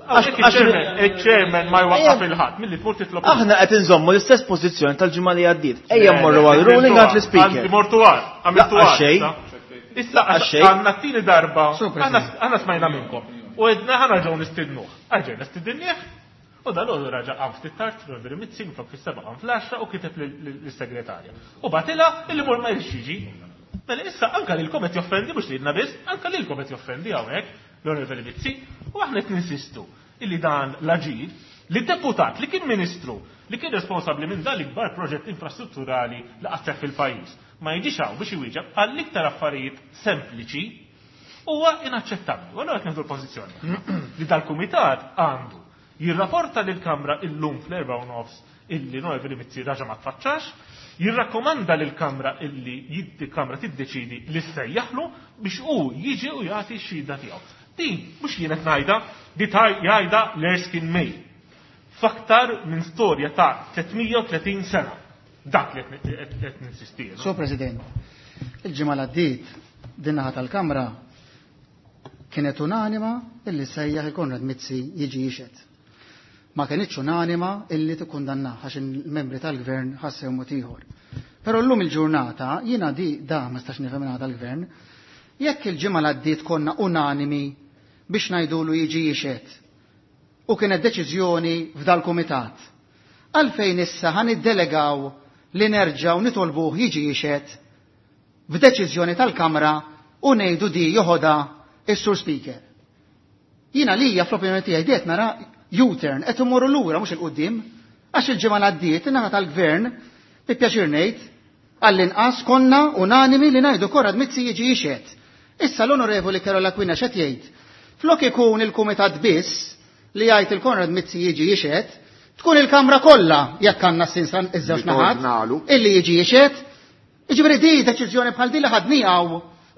Il-chairman ma jwaqqaf il-ħadd milli tmur titlob. Aħna qed inżommu l-istess pożizzjoni tal-ġimgħa li għaddiet. Ejja mmorru għal ruling għand l-ispeaker. Mortu għal, għamiltu għal. Xejn. Issa għandna t-tieni darba, aħna smajna minnkom. U għedna ħa nerġgħu nistidnuh. Erġajna stidinnieh u dal-għodu raġa' qam ftit tard, Rodri Mizzi, minflok fis-sebgħa qam fl-għaxra u kiteb lis-segretarja. U bagħtilha illi mur ma jridx jiġi. Mela issa anke lilkom qed joffendi mhux lilna biss, anke lilkom qed joffendi hawnhekk l-Onorevoli Mizzi u aħna qed ninsistu illi dan l-aġir li deputat li kien ministru li kien responsabbli minn dan l-ikbar proġett infrastrutturali li qatt seħħ fil-pajjiż ma jiġix hawn biex iwieġeb għall-iktar affarijiet sempliċi huwa inaċċettabbli. U allura qed nieħdu l-pożizzjoni li dal-kumitat għandu jirrapporta lill-Kamra illum fl-4:30 illi l-Onorevoli Mizzi raġa' ma tfaċċax, jirrakkomanda lill-Kamra illi il-Kamra tiddeċiedi li ssejjaħlu biex hu jiġi u jagħti x-xhieda tiegħu. Din mhux jien qed ngħidha, di jgħidha l-Erskine May f'aktar minn storja ta' 330 sena. Dak li qed ninsisti jiena. Sur President, il-ġimgħa l-għaddiet din naħa tal-Kamra kienet unanima illi sejjaħ il-Konrad Mizzi jiġi jixhed. Ma kenitx unanima illi tikkundannah għax il-membri tal-Gvern ħassew mod ieħor. Però llum il-ġurnata jiena di da ma nistax nifhem minn tal-Gvern, jekk il-ġimgħa l-għaddiet konna unanimi biex ngħidulu jiġi jixhed u kienet deċiżjoni f'dal-kumitat. Għalfejn issa ħa niddelegaw li nerġgħu nitolbuh jiġi jixhed f'deċiżjoni tal-Kamra u ngħidu di joħodha is-Sur Speaker. Jiena lija fl-opinjoni tiegħi diet nara U-turn qed imorru lura mhux il-qudiem għax il-ġimgħa l-għaddiet in-naħa tal-Gvern bi pjaċir ngħid għall-inqas konna unanimi li ngħidu Konrad Mizzi jiġi jixhed. Issa l-Onorevoli Karol Aquilina x'qed jgħid? Flok ikun il-Kumitat biss li jgħid il-Konrad Mizzi jiġi jixhed, tkun il-Kamra kollha jekk għandna s-sinsan iż-żewġ naħat illi jiġi jixhed. Jiġifieri di deċiżjoni bħal di li ħadniha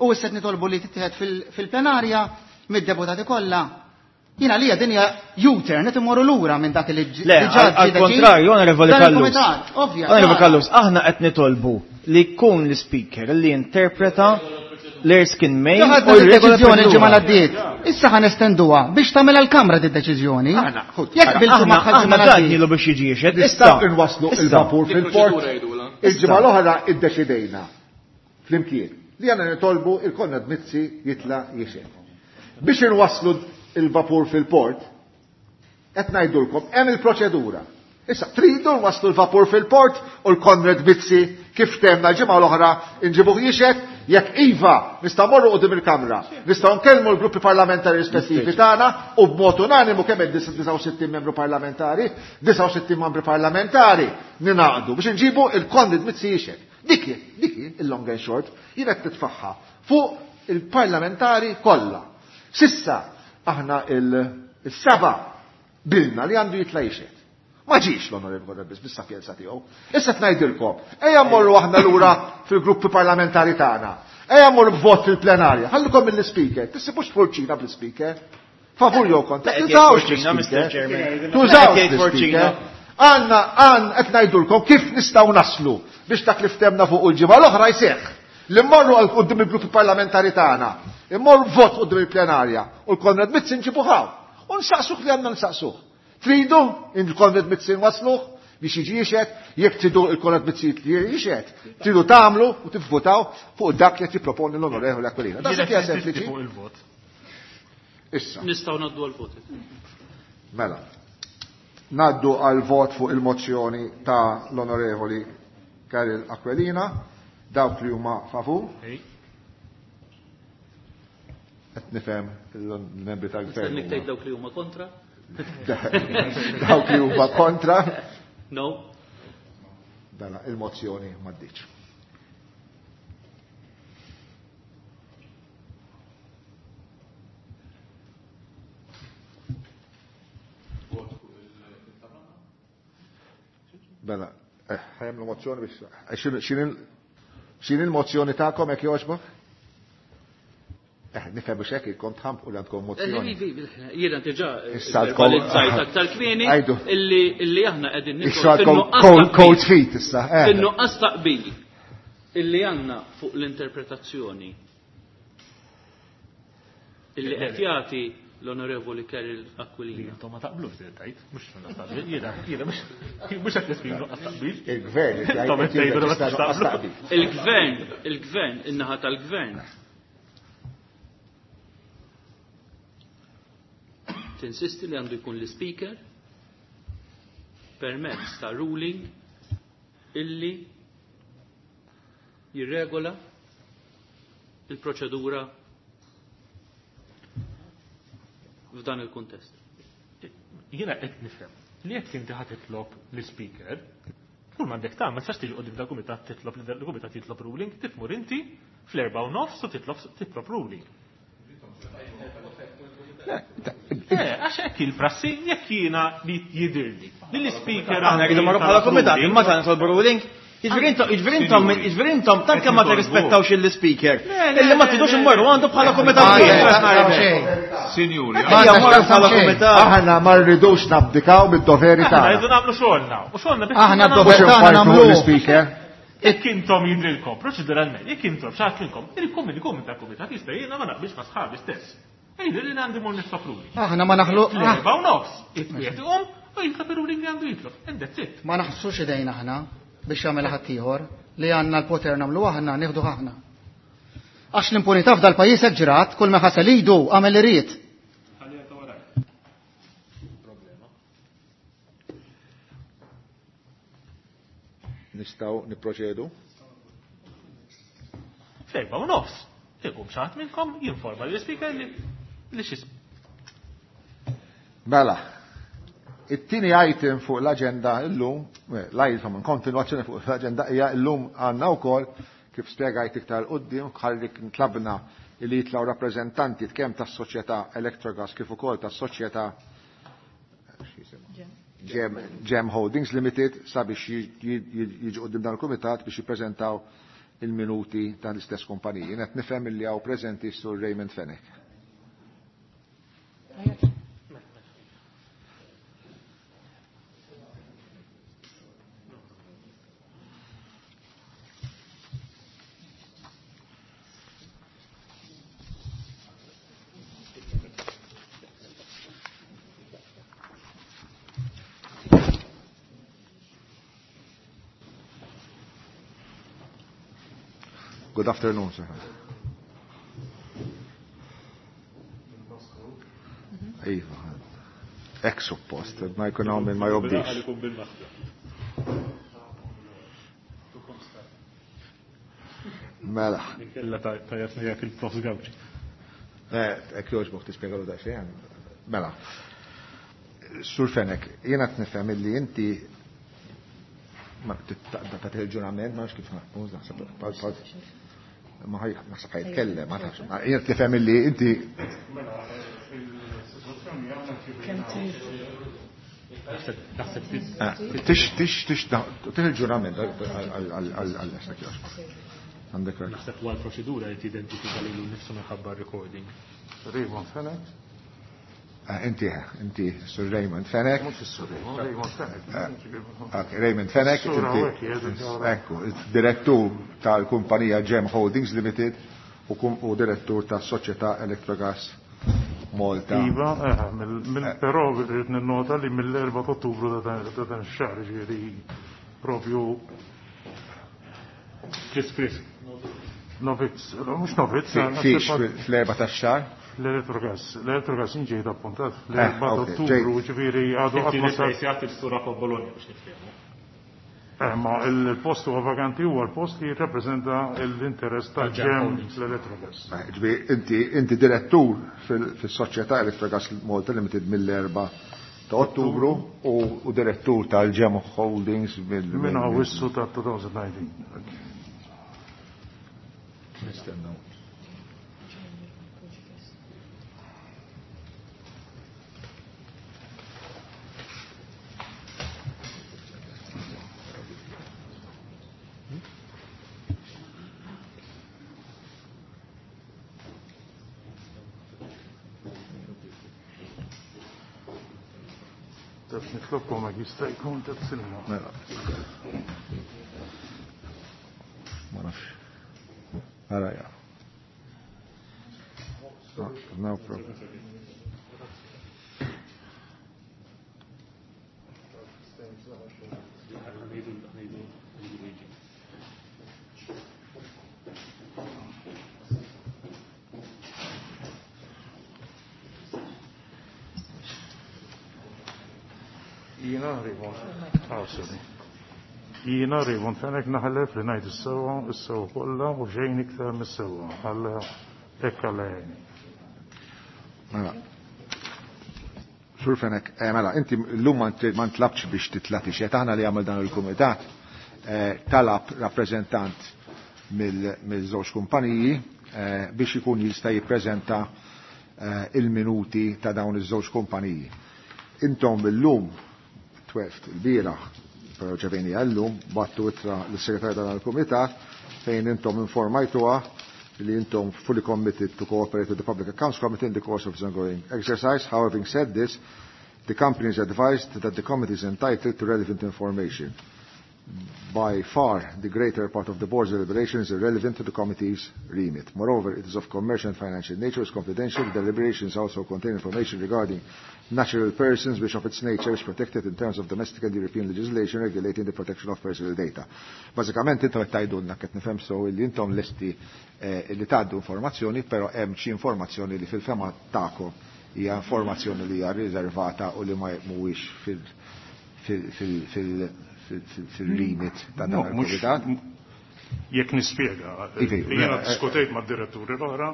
u issa qed nitolbu li tittieħed fil-plenarja mid-deputati kollha. Jiena lija din hija U-turn qed immorru lura minn dak li Le, diġà ġie għal kontrarju, Onorevoli Dan Callus. il-kumitat, ovvja, Onorevoli ċara. Callus, aħna qed nitolbu li jkun l-speaker li jinterpreta l-Erskine May Ġa u ħadna r-regola d-deċiżjoni l-ġimgħa proċedura. l-għaddiet. Issa ħa nestenduha biex tagħmilha l-Kamra di deċiżjoni. Jekk biltu Aħna magħha l-ġimgħa aħna l-għaddiet. għadnilu biex jiġi jixhed. Issa Nistgħu nwasslu il-vapur fil-port. Il-ġimgħa l-oħra iddeċidejna flimkien li għandna nitolbu il-Konrad Mizzi jitla' jixhed. Biex inwasslu il-vapur fil-port, qed ngħidulkom hemm il-proċedura. Issa tridu nwasslu l-vapur fil-port u l-Konrad Mizzi kif temna l-ġimgħa l-oħra inġibuh jixhed, jekk iva nistgħu morru quddiem il-Kamra, nistgħu nkellmu l-gruppi parlamentari rispettivi tagħna u b'mod unanimu kemm hemm 69 membru parlamentari, 69 membri parlamentari ninaqdu biex inġibu il-Konrad Mizzi jixhed. Dik hi, dik hi il-long and short, jien qed titfaħħa fuq il-parlamentari kollha. Sissa aħna il-seba bilna li għandu jitla' jixhed. Ma ġiex l-Onorevoli Konrad Mizzi bis-sapjenza tiegħu. Issa ngħidilkom, ejja mmorru aħna lura fil-gruppi parlamentari tagħna. Ejja mmorru b'vot fil-plenarja. Ħallukom mill-speaker. Tissibux forċina bl-speaker. Favur jew kontra. Qed jgħid Tużawx forċina, Mr. l-speaker. Chairman. Tużawx Qed jgħid forċina. l-speaker. Għanna, għan, qed ngħidulkom kif nistgħu naslu biex dak li ftemna fuq il-ġimgħa l-oħra jseħħ. Li mmorru għal quddiem il-gruppi parlamentari tagħna. Immorru vot quddiem il-plenarja u l-Konrad Mizzi nġibuh hawn. U nsaqsuh li għandna nsaqsuh. Tridu il-Konrad Mizzi nwasluh biex jiġi jixhed, jekk tridu il-Konrad Mizzi jixhed, tridu tagħmlu u tivvutaw fuq dak li qed jipproponi l-Onorevoli Aquilina. Da Jiena hija qed ninsisti sempliċi. fuq il-vot. Issa. Nistgħu ngħaddu għall-vot. Mela. Naddu għal vot fuq il-mozzjoni ta' l-Onorevoli Karol Aquilina, dawk li huma favur. Qed nifhem il-membri tal-gvern. Nistennik tgħid dawk li huma kontra? Dawk li huma kontra. No. Dana il-mozzjoni m'għaddiċ. Mela, ħajamlu mozzjoni biex, xin il-mozzjoni tagħkom hekk jogħġbok? Nifhem biex hekk ilkom tħampqu li għandkom mozzjoni. Jiena diġà Issa għandkom verbalizzajt aktar kmieni Għajdu. illi aħna qegħdin Issa nidħol għandkom fin-nuqqas ta' cold qbil. feet issa. Fin-nuqqas ta' qbil illi għandna fuq l-interpretazzjoni illi qed jagħti l-Onorevoli Kerry Aquilina. Intom ma taqblux li tajt, mhux taqbil, jiena jiena mhux qed nesprimu nuqqas taqbil. Il-gvern Intom qed tgħidu li ma taqblu. Il-gvern, il-gvern, in-naħa tal-gvern. Tinsisti li għandu jkun l-speaker permezz ta' ruling illi jirregola il-proċedura f'dan il-kuntest. Jiena qed nifhem li jekk inti ħa titlob l-speaker, kull m'għandek tagħmel ma tistax tiġi qudiem dal-kumitat titlob li dal-kumitat jitlob ruling, titmur inti fl-4:30 u titlob titlob ruling. Għax hekk il-prassi jekk jiena li jidhirli. Li l-speaker Aħna rridu marru bħala kumitat, imma ta' nitolbu ruling. Jiġifieri intom, jiġifieri intom, jiġifieri intom tant kemm ma tirrispettawx il-speaker. Illi ma tridux immorru għandu bħala kumitat wieħed. Sinjuri, Ejja mmorru bħala kumitat. Aħna ma rridux nabdikaw mid-doveri Aħna tagħna. rridu nagħmlu xogħolna. U xogħolna biex Aħna nagħmlu d-dover Mhux tagħna infajtu nagħmluh. l-speaker. Jekk intom jidrilkom, proċeduralment, jekk intom xaħat minnkom, il-kom il-kom tal-kumitat jista' jiena ma naqbilx ma' sħabi stess. Ejdu li għandi mur nitlob ruling. Aħna ma naħlu L-4:30, it-twiet iqum u jitlob ir-ruling li għandu jitlob. And that's it. ma naħsux idejna aħna biex jagħmel ħaddieħor li għandna l-poter nagħmlu aħna nieħdu aħna. Għax l-impunità f'dal pajjiż hekk ġrat, kull ma ħasel idu għamel li ried. Nistgħu nipproċedu. Fl-4:30. Iqum xaħat minnkom jinforma l-speaker li li xis. Mela, it-tieni item fuq l-aġenda illum, l-item kontinwazzjoni fuq l-aġenda hija illum għandna wkoll kif spjegajt iktar quddiem ħalli tlabna li jitlgħu rappreżentanti kemm tas-soċjetà Electrogas kif ukoll tas-soċjetà Gem, Gem Holdings Limited sabiex jiġu quddiem dan il-kumitat biex jippreżentaw il-minuti tal-istess kumpaniji. Jien qed nifhem illi hawn preżenti sur Raymond Fenech. Good afternoon, sir. Iva, hekk suppost, ma jkun hawn min ma jobdix. Għalikum bil-maħda. Mela, Inkella tajjeb jekk il-prof Gawċi. hekk jogħġbok tispjegalu daqsxejn. Mela. Sur Fenech, jiena qed nifhem illi inti ma tagħti il-ġurament, ma nafx kif naħseb ma ħaj naħseb ħajtkellem, ma nafx. Jien qed nifhem illi inti Kemm trid. Naħseb tix tix tix tix il-ġurament għal Għandek raġun. naħseb huwa l-proċedura li tidentifika lilu nnifsu minħabba recording. Raymond Fenech? Inti, inti, Sur Raymond Fenech. Mhux is-Sur Raymond, Raymond Fenech. Ok, Raymond Fenech, Sur inti, hawnhekk qiegħed, ekku, direttur tal-kumpanija Gem Holdings Limited u u direttur tas-soċjetà Electrogas Malta. Iva, però rrid ninnota li mill-4 ta' Ottubru ta' dan ix-xahar, ġifieri propju Chris Chris. Novizz, mhux novizz, Fiex fl-4 tax-xahar? L-Electrogas, l-Electrogas ġejt appuntat fl-4 ta' ok, Ottubru, ġifieri għadu qatt Inti ma sar. replacjat il-sura fuq Bologna biex niftehmu. Ma il-post huwa vakanti huwa l-post li jirrappreżenta l-interess Tal-Gem tal-ġem Holdings. l-Electrogas. Ġifieri, inti, inti direttur fil-soċjetà Electrogas Malta Limited mill-4 ta' Ottubru u direttur tal-Gem Holdings mill- Minn Awwissu ta' 2019. Nistennew. Taf nitlobkom jekk jista' jkun ta' silma. Mela. Ma nafx. Ara ja. No, no problem. Jiena Raymond. Ah, sorry. Jiena Raymond Fenech naħlef li ngħid is-sewwa, is-sewwa kollha u xejn iktar mis-sewwa. Alla hekk Alla jgħinni. Mela. Sur Fenech, eh, mela, inti llum ma ntlabx biex titla' tixhed, aħna li għamel dan il-kumitat eh, talab rappreżentant mill-żewġ kumpaniji eh, biex ikun jista' jippreżenta il-minuti ta' dawn iż-żewġ kumpaniji. Intom illum 12 il-bieraħ, però ġeveni għallum, battu ittra l-segretarju tal-Kumitat fejn intom informajtuha li intom fully committed to cooperate with the Public Accounts Committee in the course of this ongoing exercise. However, having said this, the company is advised that the committee is entitled to relevant information. By far, the greater part of the board's deliberations is irrelevant to the committee's remit. Moreover, it is of commercial and financial nature, is confidential. The deliberations also contain information regarding natural persons, which of its nature is protected in terms of domestic and European legislation regulating the protection of personal data. Bażikament intom qed tgħidulna qed nifhem so li intom lesti eh, li tgħaddu informazzjoni, però hemm xi informazzjoni li fil-fema tagħkom hija informazzjoni li hija riservata u li ma mhuwiex fil-limit ta' dan il-kumitat. Jekk nispjega, jiena diskutejt mad-diretturi l-oħra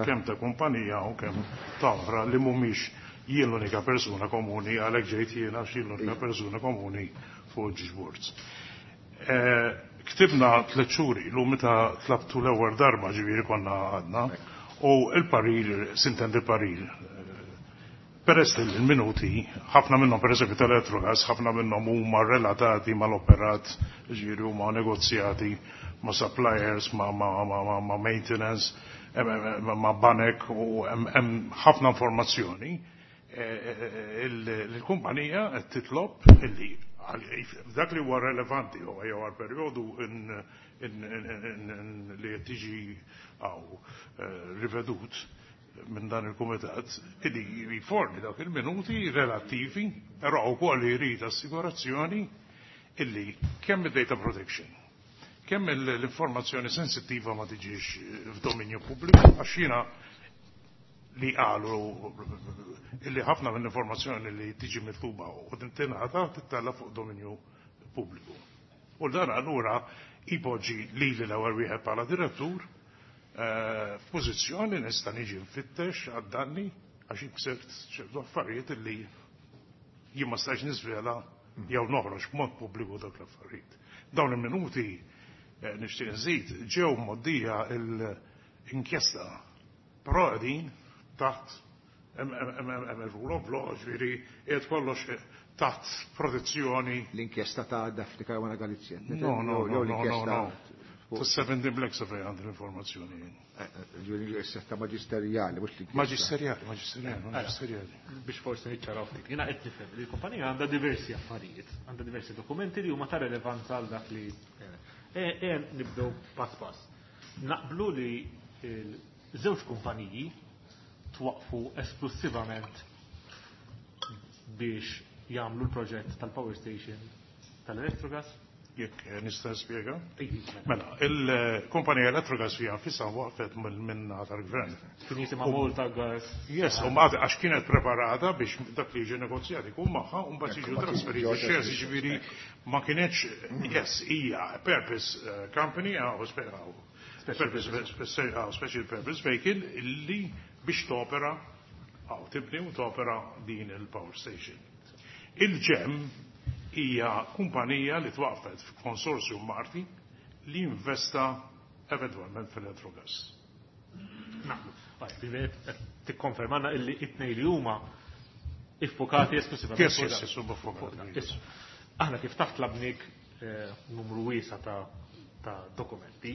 kemm ta' kumpanija u kemm ta' oħra li mhumiex jien l-unika persuna komuni għalhekk ġejt jiena għax jien l-unika persuna komuni fuq ġiex boards. Eh, ktibna tliet xhur ilu meta tlabtu l-ewwel darba ġifieri konna għadna u il-parir, sintendi il-parir, peress li l-minuti, ħafna minnhom pereżempju tal-Electrogas, ħafna minnhom huma relatati mal-operat, ġifieri huma negozjati ma' suppliers, ma', ma, ma, ma, ma maintenance, ma' banek u hemm ħafna informazzjoni. Il-kumpanija qed titlob illi dak li huwa relevanti huwa jew għal perjodu li qed tiġi għaw rivedut minn dan il-kumitat illi jiforni dawk il-minuti relattivi, però wkoll jrid assigurazzjoni illi kemm id-data protection, kemm l-informazzjoni sensittiva ma tiġix f'dominju pubbliku, għax jiena li qalu illi ħafna mill-informazzjoni li tiġi mitluba u tingħata tittella fuq dominju pubbliku. U dan allura ipoġġi lili l-ewwel wieħed bħala direttur f'pożizzjoni nista' niġi nfittex għad-danni għax inksirt ċertu affarijiet illi jien ma stax niżvela jew noħroġ b'mod pubbliku dawk l-affarijiet. Dawn il-minuti nixtieq nżid ġew mgħoddija l-inkjesta però qegħdin taħt hemm il-rule of law, ġifieri qiegħed kollox taħt protezzjoni. L-inkjesta ta' Daphne Caruana Galizia. No, no, no, no, no. Ta' 17 Black Survey għandi l-informazzjoni. Ġifieri l-inkjesta maġisterjali, mhux l-inkjesta. Maġisterjali, maġisterjali, maġisterjali. Biex forsi niċċaraw ftit. Jiena qed nifhem li l-kumpanija għandha diversi affarijiet, għandha diversi dokumenti li huma ta' relevanza għal dak li nibdew pass pass. Naqblu li żewġ kumpaniji twaqfu esklusivament biex jagħmlu l-proġett tal-power station tal-Electrogas? Jekk nista' nispjega? Mela, il-kumpanija Electrogas hija nfisha waqfet minna tal-gvern. Kien jisimha Malta Gas. Yes, u mbagħad għax kienet preparata biex dak li jiġi negozjat ikun magħha u mbagħad jiġu trasferiti shares, jiġifieri ma kienx, yes, hija purpose company, special purpose vehicle illi biex topera għaw tibni u topera din il-power station. Il-ĠEM hija kumpanija li twaqfet f'konsorzjum Marti li investa eventwalment fil-Electrogas. Naqblu. Tikkonfermanna illi it-tnejn li huma iffokati esklusivament. Yes, yes, yes, huma ffokati. Aħna kif taħt tlabnik numru wiesa ta' dokumenti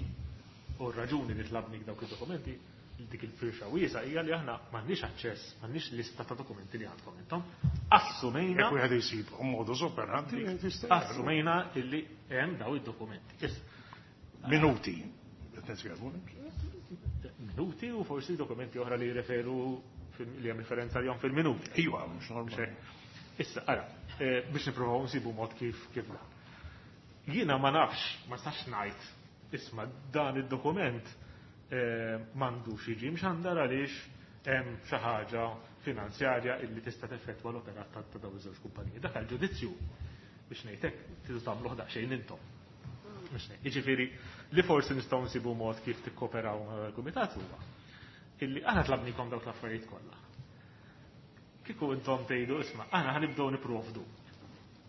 u r-raġuni li tlabnik dawk id-dokumenti dik il-firxa wiesa hija li aħna m'għandniex aċċess, m'għandniex lista ta' dokumenti li għandkom intom. Assumejna Jekk wieħed isib modus operandi, wieħed jista' jara. Assumejna illi hemm daw id-dokumenti. Minuti. Qed nitkellmu. Minuti u forsi dokumenti oħra li jirreferu li hemm referenza għalihom fil-minuti. Iva, mhux normali. Issa, ara, biex nippruvaw nsibu mod kif kif dan. Jiena ma nafx, ma nistax ngħid, isma' dan id-dokument m'għandux jiġi mxandar għaliex hemm xi ħaġa finanzjarja illi tista' teffettwa l-operat ta' dawn iż-żewġ kumpaniji. Dak għall-ġudizzju biex ngħid hekk tridu tagħmluh daqsxejn intom. Biex ngħid. Jiġifieri li forsi nistgħu nsibu mod kif tikkoperaw mal-kumitat huwa illi aħna tlabnikom dawk l-affarijiet kollha. Kieku intom tgħidu isma' aħna ħa nibdew nipprovdu.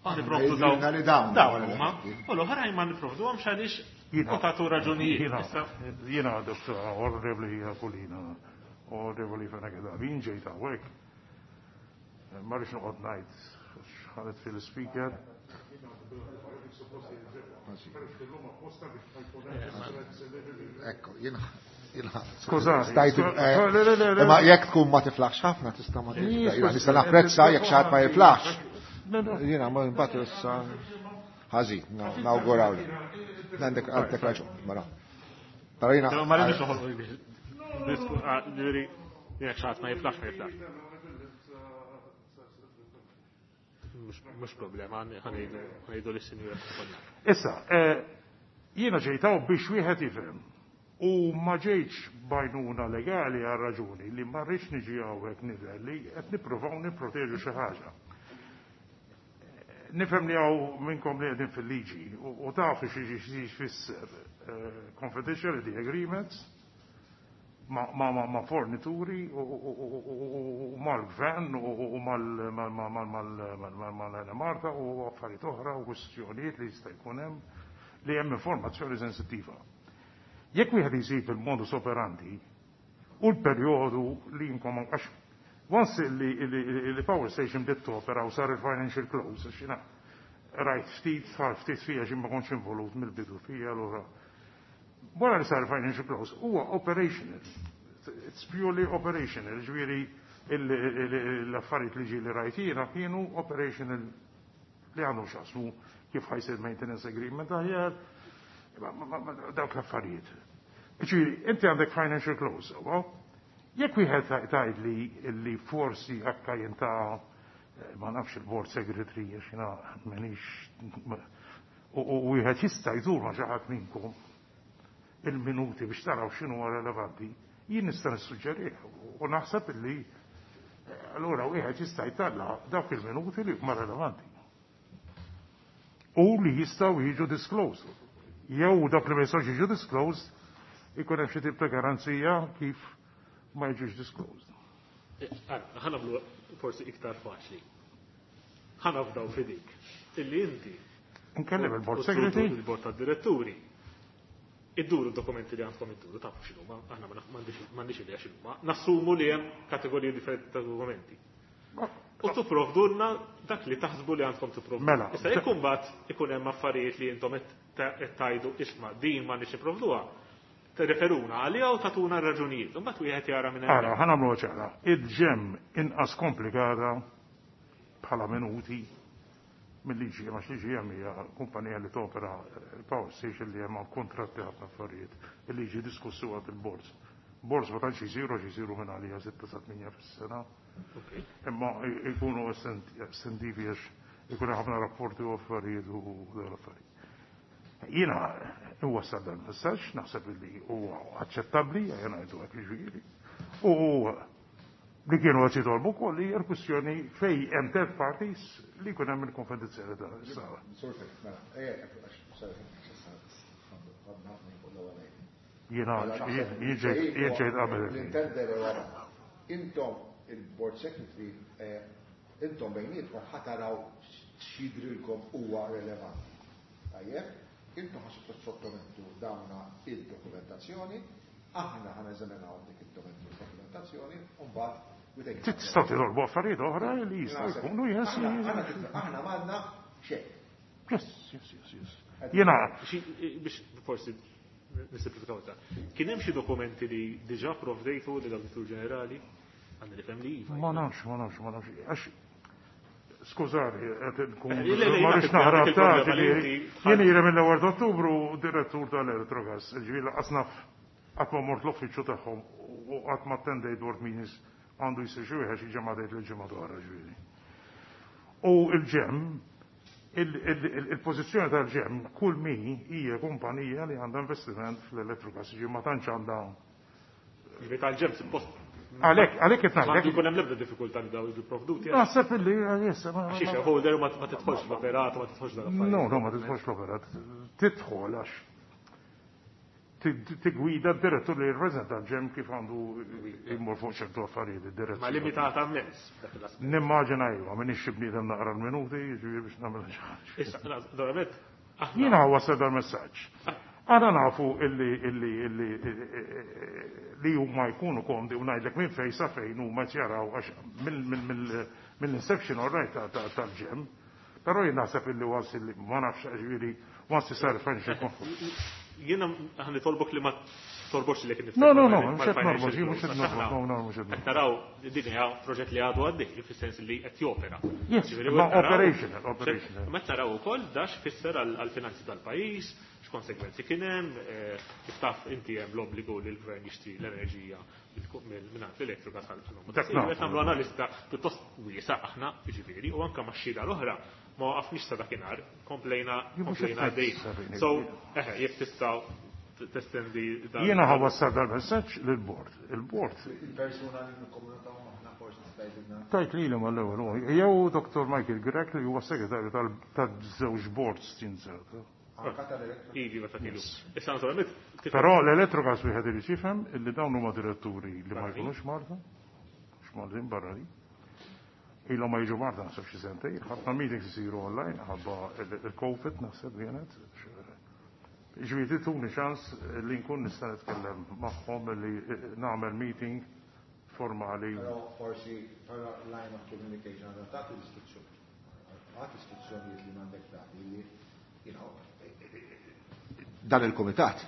Aħna nipprovdu dawn. Li dawn. Dawn huma. U l-oħrajn ma nipprovduhomx għaliex u tagħtu raġunijiet. Jiena Dottor Onorevoli Aquilina, Onorevoli Fenech Adami, jien ġejt hawnhekk. Ma rridx noqgħod ngħid x'ħadet fil-speaker. Ekku, jiena Skużani. Stajt, imma jekk tkun ma tiflaħx ħafna tista' ma tiflaħx. Nista' napprezza jekk xi ħadd ma jiflaħx. Jiena ma mbagħad issa ħażin, nawguraw li. Għandek għandek raġun, mela. Però jiena Ma rridux noħolqu ġifieri jekk xi ħadd ma jiflaħx ma jiflaħx. Mhux problema, ħanejdu lis-sinjura. Issa, jiena ġejt hawn biex wieħed jifhem. U ma ġejtx b'għajnuna legali għal raġuni li ma rridx niġi hawnhekk nidher li qed nippruvaw nipproteġu xi ħaġa. Nifhem li hawn minnkom li qegħdin fil-liġi u tafu xi jfisser confidentiality agreements ma' fornituri u mal-gvern u mal-Marta u affarijiet oħra u kwistjonijiet li jista' jkun hemm li hemm informazzjoni sensittiva. Jekk wieħed isib il-modus operandi u l-perjodu li jinkom għax once li power station bdiet topera u sar il-financial close, għax jiena rajt ftit, sar ftit fija xi ma kontx involut mill-bidu fija allura. Wara li sar il-financial close huwa operational. It's purely operational, ġifieri l-affarijiet li ġieli rajt jiena kienu operational li għandhom x'jaqsmu kif ħajsir maintenance agreement aħjar, dawk l-affarijiet. Ġifieri, inti għandek financial close, sewwa? Jekk wieħed tgħid li forsi akka jinta ma nafx il-board secretary għax jiena m'għandix u wieħed jista' jdur ma' xi ħadd minnkom il-minuti biex taraw x'inhu relevanti, jien nista' nissuġġerih u naħseb illi allura wieħed jista' jtalla' dawk il-minuti li huma relevanti. U li jistgħu jiġu disclosed. Jew dak li ma jistgħux jiġu disclosed ikun hemm xi tip ta' garanzija kif ma jiġux disclosed. Ħa nagħmlu forsi iktar faċli. Ħa nafdaw f'idik illi inti Nkellem il-board secretary. Il-board tad-diretturi. Idduru d-dokumenti li għandkom idduru, tafu x'inhuma, aħna m'għandix idea x'inhuma. Nassumu li hemm kategoriji differenti ta' dokumenti. U tipprovdulna dak li taħsbu li għandkom tipprovdu. Mela. Issa jekk imbagħad ikun hemm affarijiet li intom qed tgħidu isma' din m'għandniex nipprovduha, tirreferuna għaliha u tagħtuna r-raġunijiet. Imbagħad wieħed jara minn hemm. Ara, ħa nagħmluha ċara. Id-ġemm inqas komplikata bħala minuti mill-liġi, għax liġi hemm hija kumpanija li topera il-power station li hemm kontratti ħafna affarijiet. Il-liġi diskussu għad il-boards. Boards ma tantx isiru għax isiru minn għalija 6 sa 8 fis-sena. Imma jkunu estentivi għax ikun ħafna rapporti u affarijiet u dawn l-affarijiet. Jiena iwassal dan il-messaġġ, naħseb li huwa aċċettabbli, jiena ngħidu hekk jiġifieri. U li kienu qed jitolbu wkoll hija l-kwistjoni fejn hemm third parties li jkun hemm il-konfidenzjalità. Jiena jien ġejt qabel. Intom il-board secretary, intom bejnietkom ħa taraw x'jidrilkom huwa relevanti. Tajjeb, intom ħa sottomettu dawna id-dokumentazzjoni, aħna ħa neżaminaw dik id-dokumentazzjoni u mbagħad we take it. Tistgħu titolbu affarijiet oħra li jistgħu jkunu, yes, yes. Aħna m'għandna xejn. Yes. Jiena biex forsi nisimplifikaw ta' kien hemm xi dokumenti li diġà provdejtu lill-Awditur Ġenerali? Għandi nifhem li iva. Ma nafx, ma nafx, ma nafx. Għax skużani, qed nkun Le, le, ma rridx naħrab il ta' problema li ġifieri. inti Jien ira mill-ewwel ta' Ottubru direttur tal-Electrogas, ġifieri lanqas naf qatt ma mort l-uffiċċju tagħhom u qatt ma attendejt board meetings għandu jsir xi wieħed xi ġimgħa tgħid li ġimgħa oħra ġifieri. U il-ĠEMM, il-pożizzjoni tal-ĠEMM, kull min hija kumpanija li għandha investiment fl-Electrogas, ġi ma tantx għandha. Ġifieri tal-ĠEMM suppost. Għalhekk, għalhekk qed ngħidlek. M'għandu jkun hemm l-ebda diffikultà li daw jiġu pprovduti. Naħseb illi issa. Għax shareholder ma tidħolx fl-operat, ma tidħolx dan affarijiet. No, no, ma tidħolx fl-operat. Tidħol għax tigwida d-direttur li jirrappreżenta l-ĠEMM kif għandu jmur fuq ċertu affarijiet id-direzzjoni. Ma limitata mmens. Nimmaġina iva, m'iniex xi bniedem naqra l-minuti, jiġifieri biex nagħmel xi ħaġa. Issa, naturalment, aħna. Jiena wassal dal-messaġġ. Aħna nafu illi illi illi li huma jkunu komdi u ngħidlek minn fejn sa fejn huma qed jaraw għax mill-inception all right tal-ĠEMM. Però jien naħseb illi once illi ma nafx ġifieri once sar financial conference. Jiena aħna nitolbok li ma torbotx lilek innifsek. No, no, no, mhux qed norbot, jien mhux qed norbot, no, no, mhux qed Qed naraw din hija proġett li għadu għaddej, fis-sens li qed jopera. Yes, ma operational, operational. Ma taraw ukoll da x'fisser għall-finanzi tal-pajjiż, x'konsegwenzi kien hemm, kif taf inti hemm l-obbligu li l-gvern jixtri l-enerġija mingħand l-Electrogas għal Dak Qed nagħmlu analiżi pjuttost wiesgħa aħna, jiġifieri, u anke max-xhieda l-oħra ma waqafniex sa dakinhar, komplejna komplejna għaddejjin. So, eħe, jekk tista' testendi dan. Jiena ħa wassal dal-messaġġ lill-bord. Il-bord. Il-persuna li nikkomunikaw magħna forsi tista' tgħidilna. Tajt lili mal-ewwel, jew Dr. Michael Grech li huwa segretarju tal-żewġ boards tinżel. Anka tal-Electrogas. Iva, ta' kienu. Issa naturalment. Però l-Electrogas wieħed irid jifhem illi dawn huma diretturi li ma jkunux Malta, mhux Maltin barranin. Ilhom ma jiġu Malta naħseb xi sentejn, ħafna meetings isiru online ħabba il-Covid naħseb kienet. Ġifieri tuni ċans li nkun nista' nitkellem magħhom li nagħmel meeting formali. Però forsi però line of communication għandha tagħti l-istruzzjoni. Għad istruzzjonijiet li m'għandek tagħti li you know, dan il-komitat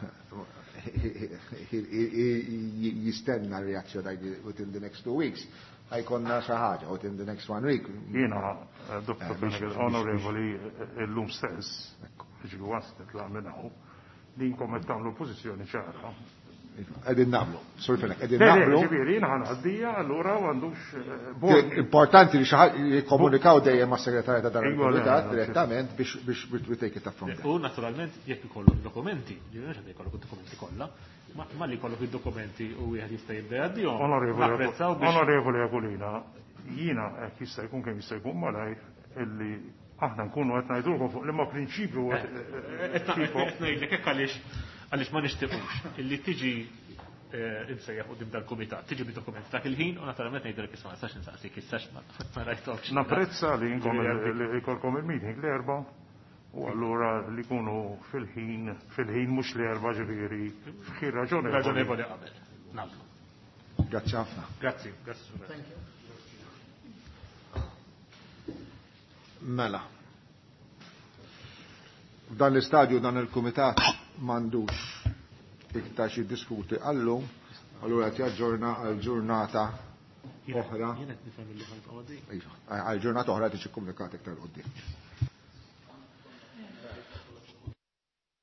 jistenna reazzjoni within the next 2 weeks. Ħa jkollna xi ħaġa within the next 1 week. Jiena, Dr. Fenech, onorevoli, illum stess, ġifieri once nitlaq minn hawn, li nkom qed tagħmlu pożizzjoni ċara. Qegħdin nagħmlu, Sur Fenech, qegħdin Le, le, nagħmlu. ġifieri jiena ħa ngħaddija allura m'għandux bord. Importanti li xi ħadd jikkomunikaw dejjem mas-segretarja ta' dan Iva, le, il-kumitat le, direttament biex we take it up from there. U naturalment jekk ikollok dokumenti, ġifieri mhux qed ikollok id-dokumenti kollha, ma li jkollok id-dokumenti u wieħed jista' jibda jgħaddihom. Napprezzaw biex Onorevoli Aquilina, jiena hekk jista' jkun kemm jista' jkun malajr illi aħna nkunu qed ngħidulkom fuq liema prinċipju qed tipo Qed ngħidlek hekk għaliex ma nixtiequx illi tiġi imsejjaħ quddiem dal-kumitat, tiġi bid-dokumenti dak il-ħin u naturalment ngħidlek isma' nistax insaqsik issa ma rajthomx. Napprezza li inkom li jkollkom il-meeting l-Erbgħa u allura li jkunu fil-ħin, fil-ħin mhux l-Erbgħa ġifieri f'ħin raġonevoli. Raġonevoli qabel. Nagħmlu. Grazzi ħafna. Grazzi, grazzi Sur. Thank you. Mela. F'dan l-istadju dan il-kumitat m'għandux iktar xi diskuti għallum, allura qed jaġġorna għal ġurnata oħra. Jien qed nifhem li ħa nibqgħu għaddejjin. Iva, għal ġurnata oħra tiġi komunikat iktar quddiem.